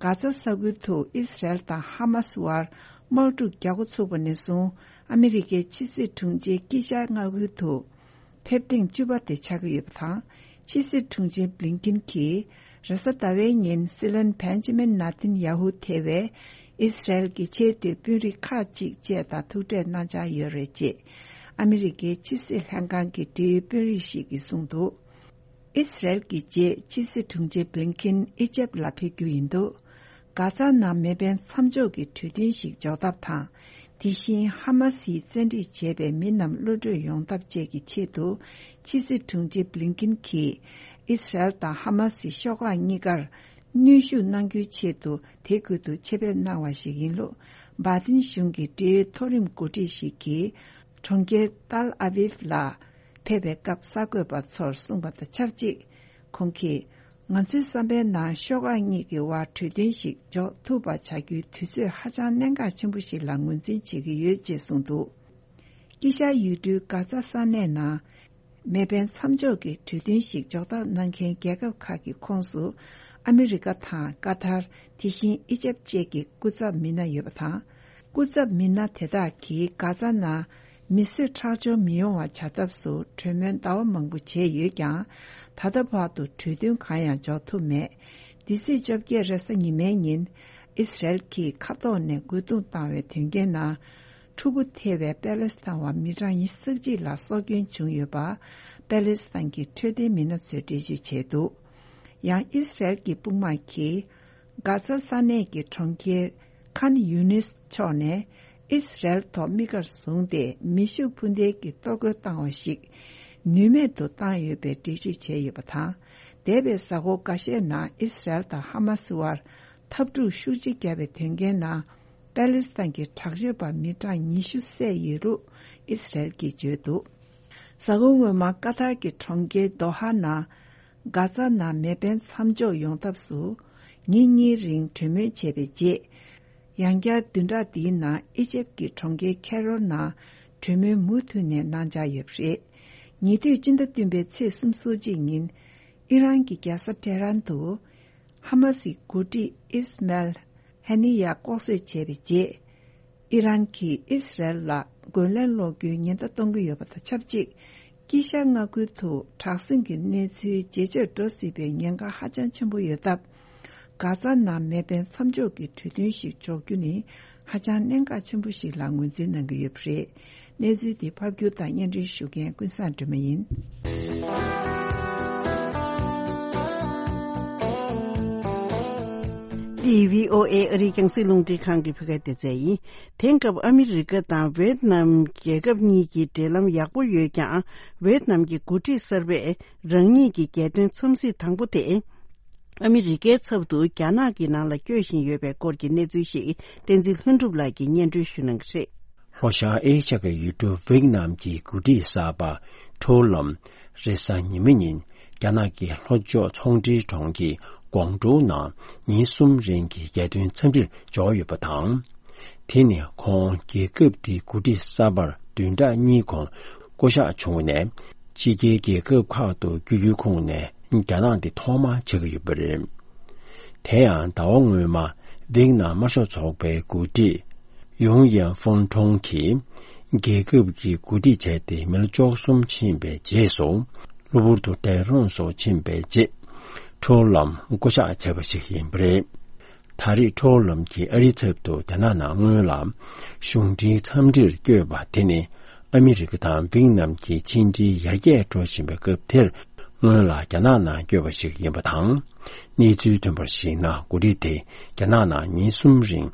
གྷ་ཛ་ས་ཁུལ་དུ་ཨི་སི་རལ་དང་ཧ་མ་སི་དབར་དམག་འཁྲུག་རྒྱག་འགོ་ཚུགས་པ་ནས་བཟུང་ཨ་མི་རི་ཀའི་ཕྱི་སྲིད་དྲུང་ཆེ་དཀྱིལ་ཤར་མངའ་ཁུལ་དུ་ཕེབས་ཐེངས་བཅུ་པ་དེ་ཆགས་ཀྱི་ཡོད་པ་དང་། ཕྱི་སྲིད་དྲུང་ཆེ་བྷི་ལིན་ཀིན་གྱིས་རེས་གཟའ་ཟླ་བའི་ཉིན་སྲིད་བློན་བན་ཇི་མིན་ནཱ་ཐན་ཡ་ཧུ་ཐེ་བའི་ཨི་སི་རལ་གྱི་ཆེས་མཐོའི་དཔོན་རིགས་ཁག་ཅིག་བཅས་དང་ཐུག་འཕྲད་གནང་འཆར་ཡོད་རེད་ཅེས་ཨ་མི་རི་ཀའི་ཕྱི་སྲིད་ལྷན་ཁང་གི་འབྲེལ་ཡོད་དཔོན་རིགས་ཤིག་གིས་གསུངས་འདུག་ཨི་སི་རལ་གྱི་རྗེས་ཕྱི་སྲིད་དྲུང་ཆེ་བྷི་ལིན་ཀིན་ཨི་ཇེབ་ལ་ཕེབས་རྒྱུ་ཡིན་འདུག་གྷ་ཛ་ནང་མེ་འཕེན་མཚམས་འཇོག་གི་གྲོས་མཐུན་ཞིག་འཇོག་ཐབས་དང་། དེ་བཞིན་ཧ་མ་སིས་བཙན་ཁྲིད་བྱས་པའི་མི་རྣམས་གློད་བཀྲོལ་ཡོང་ཐབས་བཅས་ཀྱི་ཆེད་དུ་ཕྱི་སྲིད་དྲུང་ཆེ་བྷི་ལིན་ཀིན་གྱིས་ཨི་སི་རལ་དང་ཧ་མ་སི་ཤོག་ཁག་གཉིས་ཀར་གནོན་ཤུགས་གནང་རྒྱུའི་ཆེད་དུ་དེ་ཁུལ་དུ་ཆེད་ཕེབས་གནང་བ་ཞིག་ཡིན་ལུགས་བྷའི་ཏིན་གཞུང་གི་འབྲེལ་ཡོད་མཐོ་རིམ་འགོ་ཁྲིད་ཞིག་གིས་གྲོང་ཁྱེར་ཏཱལ་ཨ་བིབ་ལ་ཕེབས་པའི་སྐབས་གསར་འགོད་པ་ཚོར་གསུངས་པ་དང་ཆབས་ཅིག་ཁོང་གིས། ང་ཚོའི་བསམ་པའི་ནང་ཤོག་ཁག་གཉིས་ཀྱི་དབར་གྲོས་མཐུན་ཞིག་འཇོག་ཐུབ་པ་བྱ་རྒྱུའི་དུས་ཚོད་ཧ་ཅང་གནད་འགག་ཆེན་པོ་ཞིག་ལ་ངོས་འཛིན་བྱེད་ཀྱི་ཡོད་ཅེས་གསུངས་འདུག་དཀྱིལ་ཤར་ཡུལ་གྲུའི་གྷ་ཛ་ས་གནས་ནང་མེ་འཕེན་མཚམས་འཇོག་གི་གྲོས་མཐུན་ཞིག་འཇོག་ཐབས་གནང་མཁན་རྒྱལ་ཁབ་ཁག་གི་ཁོངས་སུ་ཨ་མི་རི་ཀ་དང་ཀ་ཐར། དེ་བཞིན་ཨི་ཇེབ་བཅས་ཀྱི་སྐུ་ཚབ་མི་སྣ་ཡོད་པ་དང་། སྐུ་ཚབ་མི་སྣ་དེ་དག་གིས་གྷ་ཛ་ནང་མི་གསོད་ཁྲག་སྦྱོར་མི་ཡོང་བ་བྱ་ཐབས་སུ་གྲོས་མོལ་ཟླ་བ་མང་པོ་བྱས་ཡོད་ཀྱང་། ད་ལྟ་བར་དུ་གྲོས་མཐུན་གང་ཡང་འཇོག་ཐུབ་མེད། འདི་ཚེས་བཅོ་བརྒྱད་རེས་གཟའ་ཉི་མའི་ཉིན་ ཨི་སི་རལ་གྱིས་མཁའ་ཐོག་ནས་རྒོལ་རྡུང་བཏང་བའི་དོན་རྐྱེན་ནང་ཕྲུ་གུ་ཐེ་བའི་པེ་ལེ་སི་ཐན་བ་མི་གྲངས་ཉི་ཤུ་རྩ་གཅིག་ལ་སྲོག་སྐྱོན་བྱུང་ཡོད་པ། པེ་ལེ་སི་ཐན་གྱི་འཕྲོད་བསྟེན་མི་སྣ་ཚོས་འགྲེལ་བརྗོད་བྱས་འདུག་ཡང་ཨི་སི་རལ་གྱི་དཔུང་དམག་གིས་གྷ་ཛ་ས་གནས་ཀྱི་གྲོང་ཁྱེར་ཁཱན་ཡུ་ནིས་ཕྱོགས་ནས་ཨི་སི་རལ་ཐོག་དམིགས་བཀར་བཟུང་སྟེ་མེ་ཤུགས་འཕུར་མདེལ་གྱི་གཏོར་རྒོལ་བཏང་བ་ཞིག་ནུས་མེད་དུ་བཏང་ཡོད་པའི་འགྲེལ་བརྗོད་བྱས་ཡོད་པ་དང་། འདས་པའི་གཟའ་འཁོར་འགའ་ཤས་ནང་ཨི་སི་རལ་དང་ཧ་མ་སི་དབར་འཐབ་འཁྲུག་ཤུགས་ཆེ་བརྒྱབ་པའི་དོན་རྐྱེན་ནང་པེ་ལེ་སི་ཐན་གྱི་དྲག་སྤྱོད་པ་མི་གྲངས་ཉི་ཤུ་བསད་ཡོད་ལུགས་ཨི་སི་རལ་གྱིས་བརྗོད་འདུག་གཟའ་འཁོར་སྔོན་མ་ཀ་ཐར་གྱི་གྲོང་ཁྱེར་དོ་ཧ་ནང་། གྷ་ཛ་ནང་མེ་འཕེན་མཚམས་འཇོག་ཡོང་ཐབས་སུ་ཉིན་གཉིས་རིང་གྲོས་མོལ་བྱས་པའི་རྗེས། ཡང་བསྐྱར་བདུན་ཕྲག་འདིའི་ནང་ཨི་ཇེབ་ཀྱི་གྲོང་ཁྱེར་ཁེ་རོ་ནང་གྲོས་མོལ་མུ་མཐུད་ནས་གནང་འཆར་ཡོད་པ་རེད། ཉེ་དུས་སྤྱི་ཟླ་བདུན་པའི་ཚེས་སོ་གཅིག་ཉིན། ཨི་རན་གྱི་རྒྱལ་ས་ཏེ་རན་དུ། ཧ་མ་སིའི་འགོ་ཁྲིད་ཨིས་མལ་ཧ་ནི་ཡ་ལྐོག་གསོད་བྱས་པའི་རྗེས། ཨི་རན་གྱིས་ཨིས་རལ་ལ་རྒོལ་ལན་སློག་རྒྱུའི་ཉེན་བརྡ་གཏོང་གི་ཡོད་པ་དང་ཆབས་ཅིག་དཀྱིལ་ཤར་མངའ་ཁུལ་དུ་དྲག་ཟིང་གི་གནས་ཚུལ་ཇེ་ཆེར་འགྲོ་སྲིད་པའི་ཉེན་ཁ་ཧ་ཅང་ཆེན་པོ་ཡོད་སྟབས། གྷ་ཛ་ནང་མེ་འཕེན་མཚམས་འཇོག་གི་གྲོས་མཐུན་ཞིག་འཇོག་རྒྱུ་ནི་ཧ་ཅང་གནད་འགག་ཆེན་པོ་ཞིག་ལ་ངོས་འཛིན་གནང་གི་ཡོད་པ་རེད། གནས་ཚུལ་འདི་ཕབ་སྒྱུར་དང་སྙན་སྒྲོན་ཞུ་མཁན་ཀུན་བཟང་སྒྲོལ་མ་ཡིན། འདི་བྷི་ཨོ་ཨེ་ཨ་རིའི་རྒྱང་སྲིང་རླུང་འཕྲིན་ཁང་གི་བོད་སྐད་སྡེ་ཚན་ཡིན། དེང་སྐབས་ཨ་མི་རི་ཀ་དང་ཝེད་ནམ་རྒྱལ་ཁབ་གཉིས་ཀྱི་འབྲེལ་ལམ་ཡག་པོ་ཡོད་ཀྱང་། ཝེད་ནམ་གྱི་འགོ་ཁྲིད་གསར་པས་རང་ཉིད་ཀྱི་རྒྱལ་དོན་འཚམས་གཟིགས་དང་པོ་དེ། ཨ་མི་རི་ཀའི་ཚབ་ཏུ་རྒྱ་ནག་གི་ནང་ལ་བསྐྱོད་བཞིན་ཡོད་པའི་སྐོར་གྱི་གནས་ཚུལ་ཞིག་བསྟན་འཛིན་ལྷུན་གྲུབ་ལགས་ཀྱིས་སྙན་སྒྲོན་ཞུ་གནང་གི་རེད། ལྷོ་ཤར་ཨེ་ཤ་ཁའི་ཡུལ་གྲུ་ཝེད་ནམ་གྱི་འགོ་ཁྲིད་གསར་པ་ཁྲོ་ལམ་རེས་གཟའ་ཉི་མ་ཉིན་རྒྱ་ནག་གི་ལྷོ་ཕྱོགས་ཚོང་འབྲེལ་གྲོང་ཁྱེར་ཀོང་ཀྲོའུ་ནང་ཉིན་གསུམ་རིང་གི་རྒྱལ་དོན་འཚམས་འདྲིར་འབྱོར་ཡོད་པ་དང་། དེ་ནི་ཁོང་རྒྱལ་ཁབ་དེའི་འགོ་ཁྲིད་གསར་པར་བདུན་ཕྲག་གཉིས་གོང་བསྐོ་གཞག་བྱུང་ནས། ཕྱི་རྒྱལ་རྒྱལ་ཁབ་ཁག་ཏུ་བསྐྱོད་རྒྱུའི་ཁོངས་ནས་རྒྱ་ནག་འདི་ཐོག་མ་ཆགས་ཀྱི་ཡོད་པ་རེད། དེ་ཡང་ཟླ་བ་སྔོན་མ་ཝེག་ནམ་དམར་ཤོག་ཚོགས་པའི་འགོ་ཁྲིད་ཡུང་ཡན་ཧྥུང་ཁྲུང་གིས་རྒྱལ་ཁབ་ཀྱི་འགོ་ཁྲིད་བྱས་ཏེ་མི་ལོ་བཅུ་གསུམ་ཕྱིན་པའི་རྗེས་སུ། གློ་བུར་དུ་འདས་གྲོངས་སུ་ཕྱིན་པའི་རྗེས། ཁྲོ་ལམ་བསྐོ་གཞག་བྱས་པ་ཞིག་ཡིན་པ་རེད། ད་རེས་ཁྲོ་ལམ་གྱིས་ཨ་རིའི་ཚབ་ཏུ་རྒྱ་ནག་ནང་སྔོན་ལ་གཞུང་འབྲེལ་འཚམས་འདྲིར་བསྐྱོད་པ་དེ་ནི། ཨ་མི་རི་ཀ་དང་ཝེག་ནམ་གྱི་ཕྱི་འབྲེལ་ཡར་རྒྱས་འགྲོ་བཞིན་པའི་སྐབས་དེར། སྔོན་ལ་རྒྱ་ནག་ནང་བསྐྱོད་པ་ཞིག་ཡིན་པ་དང་། གནས་ཚུལ་ཐོན་པར་གཞིགས་ན། འགོ་ཁྲིད་དེ་རྒྱ་ནག་ནང་ཉིན་གསུམ་རིང་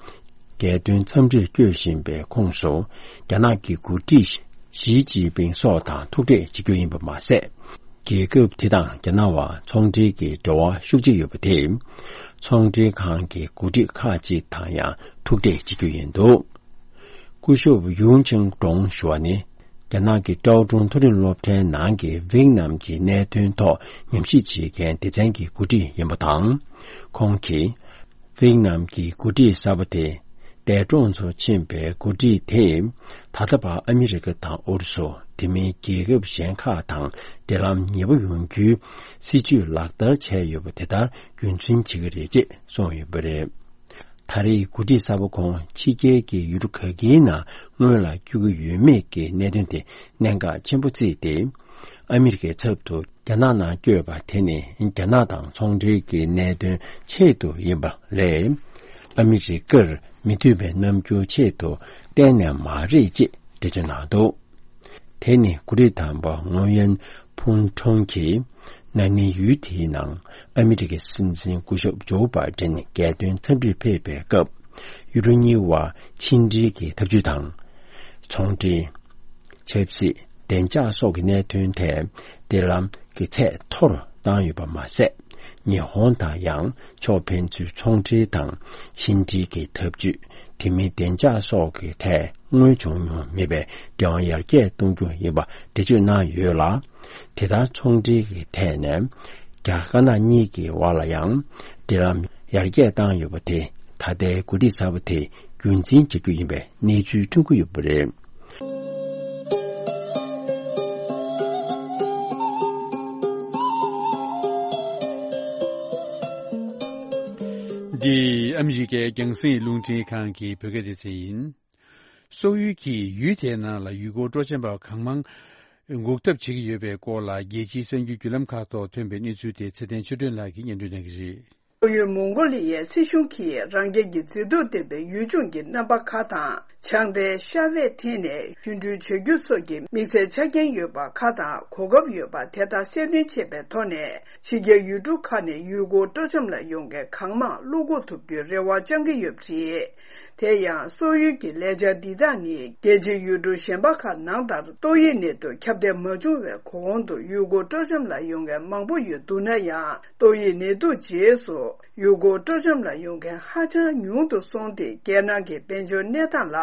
རྒྱལ་དོན་འཚམས་འདྲིར་བསྐྱོད་བཞིན་པའི་ཁོངས་སུ། རྒྱ་ནག་གི་འགོ་ཁྲིད་ཞི་ཅིན་ཕིང་སོགས་དང་ཐུག་འཕྲད་བྱེད་རྒྱུ་ཡིན་པ་མ་ཟད། རྒྱལ་ཁབ་དེ་དང་རྒྱ་ནག་བར་ཚོང་འབྲེལ་གྱི་འབྲེལ་བ་ཤུགས་ཆེ་ཡོད་པ་དེས། ཚོང་འབྲེལ་ཁང་གི་འགོ་ཁྲིད་ཁག་ཅིག་དང་ཡང་ཐུག་འཕྲད་བྱེད་རྒྱུ་ཡིན་འདུག་སྐུ་ཞབས་ཡུང་ཆིང་ཀྲོང་ཞུ་བ་ནི། རྒྱ་ནག་གི་ཀྲའོ་ཀྲུང་མཐོ་རིམ་སློབ་གྲྭའི་ནང་གི་ཝེག་ནམ་གྱི་གནད་དོན་ཐོག་ཉམས་ཞིབ་བྱེད་མཁན་སྡེ་ཚན་གྱི་འགོ་ཁྲིད་ཡིན་པ་དང་། ཁོང་གིས། ཝེག་ནམ་གྱི་འགོ་ཁྲིད་གསར་པ་དེ། འདས་གྲོངས་སུ་ཕྱིན་པའི་འགོ་ཁྲིད་དེས། ད་ལྟ་བར་ཨ་མི་རི་ཀ་དང་ཨུ་རུ་སུ། དེ་མིན་རྒྱལ་ཁབ་གཞན་ཁག་དང་འབྲེལ་ལམ་ཉེ་པོ་ཡོང་རྒྱུའི་སྲིད་ཇུས་ལག་བསྟར་བྱས་ཡོད་པ་དེ་ལྟར་རྒྱུན་འཛིན་བྱེད་ཀྱི་རེད་ཅེས་གསུངས་ཡོད་པ་རེད། ད་རེས་འགོ་ཁྲིད་གསར་པ་ཁོང་ཕྱི་རྒྱལ་གྱི་ཡུལ་གྲུ་ག་གེའི་ནང་སྔོན་ལ་བསྐྱོད་ཀྱི་ཡོད་མེད་ཀྱི་གནད་དོན་དེ་གནད་འགག་ཆེན་པོ་བརྩིས་ཏེ། ཨ་མི་རི་ཀའི་ཚབ་ཏུ་རྒྱ་ནག་ནང་བསྐྱོད་པ་དེ་ནི་རྒྱ་ནག་དང་ཚོང་འབྲེལ་གྱི་གནད་དོན་ཆེད་དུ་ཡིན་པ་ལས། ཨ་མི་རི་ཀར་མི་མཐུན་པའི་རྣམ་འགྱུར་ཆེད་དུ་གཏན་ནས་མ་རེད་ཅེས་འགྲེལ་བརྗོད་གནང་འདུག་དེ་ནི་འགོ་ཁྲིད་དམ་པ་ཡུང་ཡན་ཕུང་ཁྲོང་གིས་ན་ནིང་ཡུལ་དེའི་ནང་ཨ་མི་རི་ཀའི་སྲིད་འཛིན་སྐུ་ཞབས་ཇོ་བྷའི་ཏིན་རྒྱལ་དོན་འཚམས་འདྲིར་ཕེབས་པའི་སྐབས། ཡུལ་གྲུ་གཉིས་བར་ཕྱི་འབྲེལ་གྱི་འཐབ་ཇུས་དང་། ཚོང་འབྲེལ། ཆབ་སྲིད། བདེ་འཇགས་སོགས་ཀྱི་གནད་དོན་ཐད་འབྲེལ་ལམ་གྱི་ཚད་མཐོ་རུ་བཏང་ཡོད་པ་མ་ཟད། ཉི་ཧོང་དང་ཡང་ཕྱོགས་ཕན་ཚུན་ཚོང་འབྲེལ་དང་ཕྱི་འབྲེལ་གྱི་འཐབ་ཇུས། དེ་མིན་བདེ་འཇགས་སོགས་ཀྱི་ཐད་སྔོན་བྱུང་མྱོང་མེད་པའི་འབྲེལ་བ་ཡར་རྒྱས་གཏོང་རྒྱུ་ཡིན་པ་འགྲེལ་བརྗོད་གནང་ཡོད་ལ། དེ་ལྟར་ཚོང་འབྲེལ་གྱི་ཐད་ནས་རྒྱ་དཀར་ནག་གཉིས་ཀྱི་དབར་ལ་ཡང་འབྲེལ་ལམ་ཡར་རྒྱས་བཏང་ཡོད་པ་དེ་ད་ལྟའི་འགོ་ཁྲིད་གསར་པ་དེས་རྒྱུན་འཛིན་བྱ་རྒྱུ་ཡིན་པའི་གནས་ཚུལ་ཐོན་གྱི་ཡོད་པ་རེད། འདི་ཨ་མི་རི་ཀའི་རྒྱང་སྲིང་རླུང་འཕྲིན་ཁང་གི་བོད་སྐད་སྡེ་ཚན་ཡིན། སོག་ཡུལ་གྱིས་ཡུལ་དེའི་ནང་ལ་ཡུལ་སྐོར་སྤྲོ་འཆམ་པ་གང་མང་འགུག་ཐབས་བྱེད་ཀྱི་ཡོད་པའི་སྐོར་ལ། རྒྱལ་སྤྱིའི་གསར་འགྱུར་བརྒྱུད་ལམ་ཁག་ཐོག་ཐོན་པའི་གནས་ཚུལ་དེ་ཚེ་བརྟན་ཆོས་སྒྲོན་ལགས་ཀྱིས་སྙན་སྒྲོན་གནང་གི་རེད། སོག་ཡུལ་མོང་གོ་ལི་ཡའི་སྲིད་གཞུང་གིས་རང་རྒྱལ་གྱི་མཛེས་སྡུག་ལྡན་པའི་ཡུལ་ལྗོངས་ཀྱི་རྣམ་པ་ཁག་དང་། ཆང་དེ་ཤ་བས་འཐེན་ནས་བཞུ་འཁྲུད་བྱ་རྒྱུ་སོགས་ཀྱི་དམིགས་བསལ་ཆ་རྐྱེན་ཡོད་པ་ཁག་དང་གོ་སྐབས་ཡོད་པ་དེ་དག་གསལ་སྟོན་བྱས་པའི་ཐོག་ནས། ཕྱི་རྒྱལ་ཡུལ་གྲུ་ཁག་ནས་ཡུལ་སྐོར་སྤྲོ་འཆམ་ལ་ཡོང་མཁན་གང་མང་བློ་འགུག་ཐུབ་རྒྱུའི་རེ་བ་བཅང་གི་ཡོད་པ་རེད། དེ་ཡང་སོག་ཡུལ་གྱི་ལས་འཆར་འདི་དག་ནི་རྒྱལ་སྤྱིའི་ཡུལ་གྲུ་གཞན་པ་ཁག་ནང་ལྟར་ཏོག་དབྱིབས་ནད་དུག་ཁྱབ་གདལ་མ་བྱུང་བའི་གོང་དུ་ཡུལ་སྐོར་སྤྲོ་འཆམ་ལ་ཡོང་མཁན་མང་པོ་ཡོད་འདུག་ན་ཡང་། ཏོག་དབྱིབས་ནད་དུག་རྗེས་སུ་ཡུལ་སྐོར་སྤྲོ་འཆམ་ལ་ཡོང་མཁན་ཧ་ཅང་ཉུང་དུ་སོང་སྟེ། རྒྱལ་ནང་གི་དཔལ་འབྱོར་གནས་སྟངས་ལ་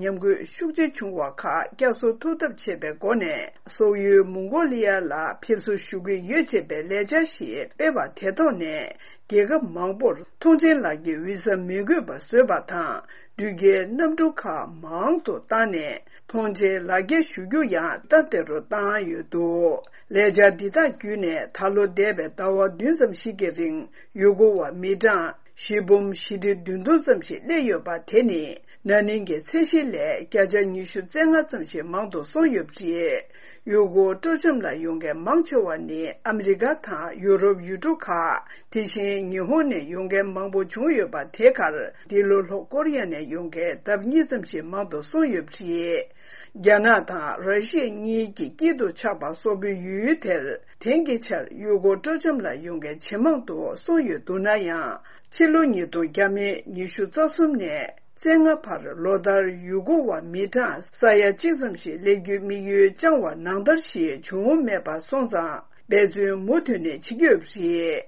ཉམས་རྒུད་ཤུགས་ཆེ་བྱུང་བ་ཁག་བསྐྱར་གསོ་ཐུབ་ཐབས་བྱེད་པའི་སྒོ་ནས། སོག་ཡུལ་མོང་གོ་ལི་ཡ་ལ་ཕེབས་བསུ་ཞུ་གི་ཡོད་ཅེས་པའི་ལས་འཆར་ཞིག་སྤེལ་བ་དེ་ཐོག་ནས། རྒྱལ་ཁབ་མང་པོར་ཐོངས་མཆན་ལག་འཁྱེར་བི་ས་མི་དགོས་པ་བཟོས་པ་དང་། འགྲུལ་སྐྱེལ་གནམ་གྲུ་ཁག་མང་དུ་བཏང་ནས། ཐོངས་མཆན་ལག་འཁྱེར་ཞུ་རྒྱུ་ཡང་སྟབས་བདེ་རུ་བཏང་ཡོད་འདུག་ལས་འཆར་འདི་དག་བརྒྱུད་ནས། ད་ལོ་འདས་པའི་ཟླ་བ་བདུན་ཙམ་ཞིག་གི་རིང་ཡུལ་སྐོར་བ་མི་གྲངས་བཞི་འབུམ་བཞི་ཁྲི་བདུན་སྟོང་ཙམ་ཞིག་སླེབས་ཡོད་པ་དེ་ནི། ན་ནིང་གི་ཚད་གཞི་ལས་བརྒྱ་ཆ་ཉི་ཤུ་རྩ་ལྔ་ཙམ་ཞིག་མང་དུ་སོང་ཡོད་པ་རེད། ཡུལ་སྐོར་སྤྲོ་འཆམ་ལ་ཡོང་མཁན་མང་ཆེ་བ་ནི་ཨ་མི་རི་ཀ་དང་ཡུ་རོབ་ཡུལ་གྲུ་ཁག་དེ་བཞིན་ཉི་ཧོང་ནས་ཡོང་མཁན་མང་པོ་བྱུང་ཡོད་པ་དེ་གར། འདི་ལོ་ལྷོ་ཀོ་རི་ཡ་ནས་ཡོང་མཁན་ལྡབ་གཉིས་ཙམ་ཞིག་མང་དུ་སོང་ཡོད་པ་རེད། རྒྱ་ནག་དང་ར་ཤི་ཡ་གཉིས་ཀྱི་དཀྱིལ་དུ་ཆགས་པ་སོག་པོའི་ཡུལ་དེར། དེང་གི་ཆར་ཡུལ་སྐོར་སྤྲོ་འཆམ་ལ་ཡོང་མཁན་ཇེ་མང་དུ་སོང་ཡོད་འདུག་ན་ཡང་། ཕྱི་ལོ་ཉིས་སྟོང་ཉི་ཤུ་རྩ་གསུམ་ནས་རྩ་ལྔ་བར་ལོ་ལྟར་ཡུལ་སྐོར་བ་མི་གྲངས་ས་ཡ་གཅིག་ཙམ་ཞིག་སླེབས་རྒྱུའི་དམིགས་ཡུལ་བཅངས་པ་ནང་ལྟར་ཞིག་བྱུང་མེད་པ་སོང་ཙང་། འབད་བརྩོན་མུ་མཐུད་ནས་བྱེད་ཀྱི་ཡོད་པ་རེད།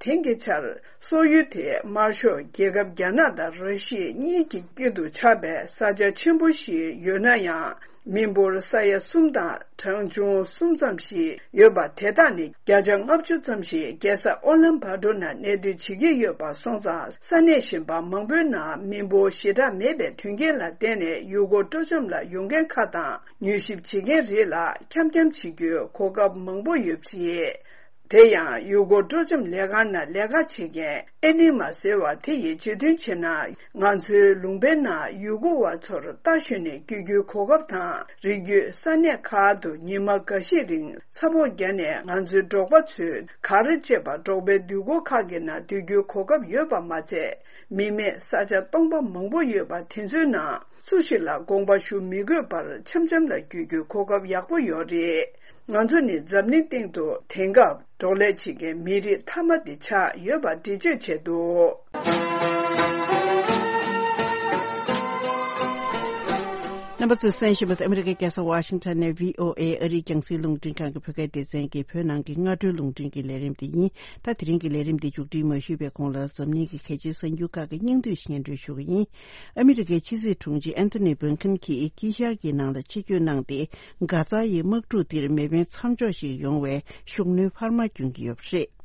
དེང་གི་ཆར་སོག་ཡུལ་དེ་དམར་ཤོག་རྒྱལ་ཁབ་རྒྱ་ནག་དང་ར་ཤི་ཡ་གཉིས་ཀྱི་དཀྱིལ་དུ་ཆགས་པའི་ས་ཆ་ཆེན་པོ་ཞིག་ཡོད་ན་ཡང་། མི་འབོར་ས་ཡ་གསུམ་དང་གྲངས་ཆུང་གསུམ་ཙམ་ཞིག་ཡོད་པ་དེ་དག་ནི་བརྒྱ་ཆ་ལྔ་བཅུ་ཙམ་ཞིག་རྒྱལ་ས་ཨོ་ལན་བྷ་ཏོ་ནང་གནས་སྡོད་བྱེད་ཀྱི་ཡོད་པ་སོང་ཙང་། ས་གནས་གཞན་པ་མང་པོའི་ནང་མི་འབོར་ཞེ་དྲག་མེད་པའི་མཐུན་རྐྱེན་ལ་བརྟེན་ནས་ཡུལ་སྐོར་སྤྲོ་འཆམ་ལ་ཡོང་མཁན་ཁག་དང་མྱུལ་ཞིབ་བྱེད་མཁན་རིགས་ལ་འཁྱམ་འཁྱམ་བྱེད་རྒྱུའི་གོ་སྐབས་མང་པོ་ཡོད་པ་རེད། དེ་ཡང་ཡུལ་སྐོར་སྤྲོ་འཆམ་ལས་ཁང་ནང་ལས་ཀ་བྱེད་མཁན་ཨེ་ནི་མ་ཟེར་བ་དེ་ཡིས་བརྗོད་དོན་བྱས་ན། ང་ཚོའི་ལུང་པའི་ནང་ཡུལ་སྐོར་བ་ཚོར་རྟ་ཞོན་ནས་སྐྱོད་རྒྱུའི་གོ་སྐབས་དང་། རི་རྒྱུད་ས་གནས་ཁག་ཏུ་ཉི་མ་འགའ་ཤས་རིང་ཚ་ཕོགས་བརྒྱབ་ནས་ང་ཚོའི་འབྲོག་པ་ཚོས་གར་བཅས་པ་འབྲོག་པའི་འདུས་སྒོ་ཁག་གི་ནང་སྡོད་རྒྱུའི་གོ་སྐབས་ཡོད་པ་མ་ཚད། མི་མེད་ས་ཆ་སྟོང་པ་མང་པོ་ཡོད་པ་དེ་ཚོའི་ནང་སུ་ཞིག་ལ་དགོངས་པ་ཞུ་མི་དགོས་པར་འཆམ་འཆམ་ལ་སྐྱོད་རྒྱུའི་གོ་སྐབས་ཡག་པོ་ཡོད་རེད། ང་ཚོ་ནི་འཛམ་གླིང་སྟེང་དུ་དེང་སྐབས་འབྲོག་ལས་བྱེད་མཁན་མི་རིགས་མཐའ་མ་དེ་ཆགས་ཡོད་པ་འགྲེལ་བརྗོད་བྱས་འདུག་རྣམ་པ་ཚོས་གསན་བཞིན་པ་ཨ་མི་རི་ཀའི་རྒྱལ་ས་ཝ་ཤིང་ཊོན་ནས་བྷི་ཨོ་ཨེ་ཨ་རིའི་རྒྱང་སྲིང་རླུང་འཕྲིན་ཁང་གི་བོད་སྐད་སྡེ་ཚན་གྱི་བོད་ནང་གི་སྔ་དྲོའི་རླུང་འཕྲིན་གྱི་ལས་རིམ་དེ་ཡིན། ད་དེ་རིང་གི་ལས་རིམ་འདི་མཇུག་སྒྲིལ་མ་ཞུས་པའི་གོང་ལ། འཛམ་གླིང་གི་གལ་ཆེའི་གསར་འགྱུར་ཁག་གི་སྙིང་བསྡུས་སྙན་སྒྲོན་ཞུ་གི་ཡིན། ཨ་མི་རི་ཀའི་ཕྱི་སྲིད་དྲུང་ཆེ་ཨན་ཐོ་ནི་བྷིན་ཁིན་གྱིས་དཀྱིལ་ཤར་གྱི་ནང་ལ་ཆིབས་བསྒྱུར་གནང་སྟེ། གྷ་ཛ་ཡི་དམག་འཁྲུག་འདིར་མེ་འཕེན་མཚམས་འཇོག་ཞིག་ཡོང་བའི་ཤུགས་སྣོན་འཕར་མ་བསྐྱོན་གྱི་ཡོད་པ་རེད།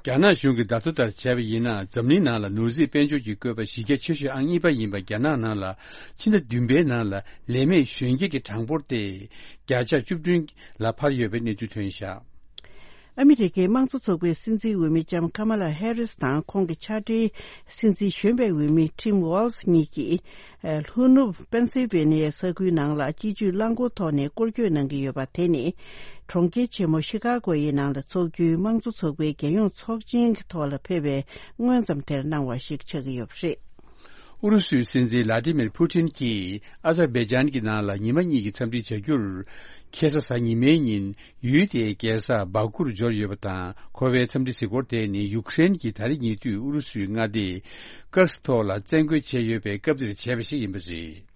རྒྱ་ནག་གཞུང་གིས་བརྡ་ཐོ་ལྟར་བྱས་པ་ཡིན་ན། འཛམ་གླིང་ནང་ལ་ནོར་སྲིད་དཔལ་འབྱོར་གྱི་བཀོད་པ་གཞི་རྒྱ་ཆེ་ཤོས་ཨང་གཉིས་པ་ཡིན་པ་རྒྱ་ནག་ནང་ལ། ཕྱི་ཟླ་བདུན་པའི་ནང་ལ་ལས་མེད་གཞོན་སྐྱེས་ཀྱི་གྲངས་འབོར་དེ་བརྒྱ་ཆ་བཅུ་བདུན་ལ་འཕར་ཡོད་པའི་གནས་ཚུལ་ཐོན་བཞག་ཨ་མི་རི་ཀའི་དམངས་གཙོ་ཚོགས་པའི་སྲིད་འཛིན་འོས་མི་ལྕམ་ཀ་མ་ལ་ཧེ་རིས་དང་ཁོང་གི་ཕྱག་སྦྲེལ་སྲིད་འཛིན་གཞོན་པའི་འོས་མི་ཊིམ་ཝོལ་ཛི་གཉིས་ཀྱིས། ལྷོ་ནུབ་པེན་སིལ་ཝེ་ནི་ཡའི་ས་ཁུལ་ནང་ལ་སྤྱི་སྤྱོད་རླངས་འཁོར་ཐོག་ནས་སྐོར་སྐྱོད་གནང་གི་ཡོད་པ་དེ་ནི། གྲོང་ཁྱེར་ཆེན་མོ་ཤི་ཀ་གོ་ཡི་ནང་ལ་འཚོགས་རྒྱུའི་དམངས་གཙོ་ཚོགས་པའི་རྒྱལ་ཡོངས་ཚོགས་ཆེན་གྱི་ཐོག་ལ་ཕེབས་པའི་སྔོན་ཙམ་དེར་གནང་བ་ཞིག་ཆགས་ཀྱི་ཡོད་པ་རེད། ཨུ་རུ་སུའི་སྲིད་འཛིན་ལ་ཏི་མིར་ཕུ་ཏིན་གྱིས་ཨ་ཟར་བེ་ཇན་གྱི་ནང་ལ་ཉི་མ་གཉིས་ཀྱི་འཚམས་འདྲི་བྱ་རྒྱུར། ཁ་སང་གཟའ་ཉི་མའི་ཉིན་ཡུལ་དེའི་རྒྱལ་ས་བྷ་ཀུར་འབྱོར་ཡོད་པ་དང་། ཁོ་པའི་འཚམས་འདྲི་གཟིགས་སྐོར་དེ་ནི་ཡུཀ་རེན་གྱི་ད་རེས་ཉེ་དུས་ཨུ་རུ་སུའི་མངའ་སྡེ་ཀར་སི་ཐོག་ལ་བཙན་རྒོལ་བྱས་ཡོད་པའི་སྐབས་དེར་བྱས་པ་ཞིག་ཡིན་པ་རེད།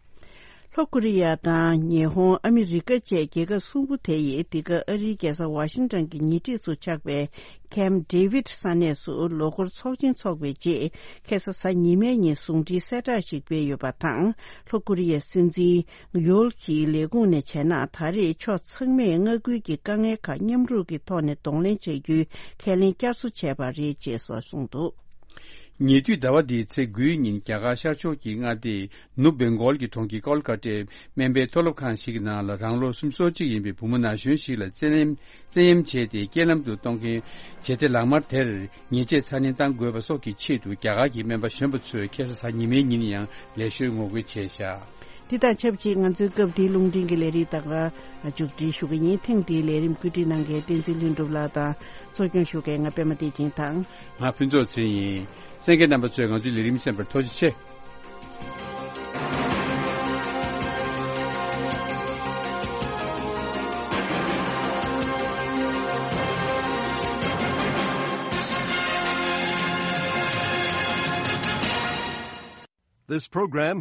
ལྷོ་ཀོ་རི་ཡ་དང་ཉི་ཧོང་། ཨ་མི་རི་ཀ་བཅས་རྒྱལ་ཁབ་གསུམ་པོ་དེ་ཡིས་འདི་ག་ཨ་རིའི་རྒྱལ་ས་ཝ་ཤིང་ཊོན་གྱི་ཉེ་འཁྲིས་སུ་ཆགས་པའི་ཀེམ་ཌེ་བིད་ས་གནས་སུ་ལོ་འཁོར་ཚོགས་ཆེན་འཚོགས་པའི་རྗེས། ཁ་སང་གཟའ་ཉི་མའི་ཉིན་ཟུང་འབྲེལ་གསལ་བསྒྲགས་ཤིག་སྤེལ་ཡོད་པ་དང་། ལྷོ་ཀོ་རི་ཡའི་སྲིད་འཛིན་ཡོལ་གྱི་ལས་ཁུངས་ནས་བྱས་ན། ད་རེས་ཕྱོགས་ཚང་མས་མངའ་ཁུལ་གྱི་དཀའ་ངལ་ཁག་མཉམ་རུབ་ཀྱི་ཐོག་ནས་གདོང་ལེན་བྱ་རྒྱུའི་ཁས་ལེན་བསྐྱར་གསོ་བྱས་པ་རེད་ཅེས་སོགས་གསུངས་འདུག་ཉེ་དུས་ཟླ་བ་འདིའི་ཚེས་དགུའི་ཉིན། རྒྱ་གར་ཤར་ཕྱོགས་ཀྱི་མངའ་སྡེ་ནུབ་བེང་གོལ་གྱི་གྲོང་ཁྱེར་ཀོལ་ཀ་ཏའི་སྨན་པའི་མཐོ་སློབ་ཁང་ཞིག་གི་ནང་ལ། རང་ལོ་སུམ་ཅུ་སོ་གཅིག་ཡིན་པའི་བུ་མོ་ན་གཞོན་ཞིག་ལ་བཙན་གཡེམ། བཙན་གཡེམ་བྱས་ཏེ། རྐྱེན་ལམ་དུ་གཏོང་མཁན་བྱེད་གཏེ་ལག་དམར་དེར་ཉེས་ཆད་ཚ་ནན་གཏང་དགོས་པ་སོགས་ཀྱི་ཆེད་དུ། རྒྱ་གར་གྱི་སྨན་པ་གཞོན་པ་ཚོས་ཁ་སང་གཟའ་ཉི་མའི་ཉིན་ཡང་ལས་ཤོར་ངོ་རྒོལ་བྱས་བཞག་འདི་དང་ཆབས་ཅིག་ང་ཚོའི་སྐབས་འདིའི་རླུང་འཕྲིན་གྱི་ལས་རིམ་དང་མཇུག་སྒྲིལ་ཞུ་གི་ཡིན། ཐེངས་འདིའི་ལས་རིམ་བཀོད་སྒྲིག་གནང་མཁན་བསྟན་འཛིན་ལྷུན་གྲུབ་ལགས་དང་གཙོ་སྐྱོང་ཞུ་མཁན་ང་པད་མ་བདེ་ཆེན་དང་། ང་ཕུན་ཚོགས་ཚེ་ཡིན། གསན་མཁན་རྣམ་པ་ཚོས་ང་ཚོའི་ལས་རིམ་གསན་པར་ཐུགས་རྗེ་ཆེ། This program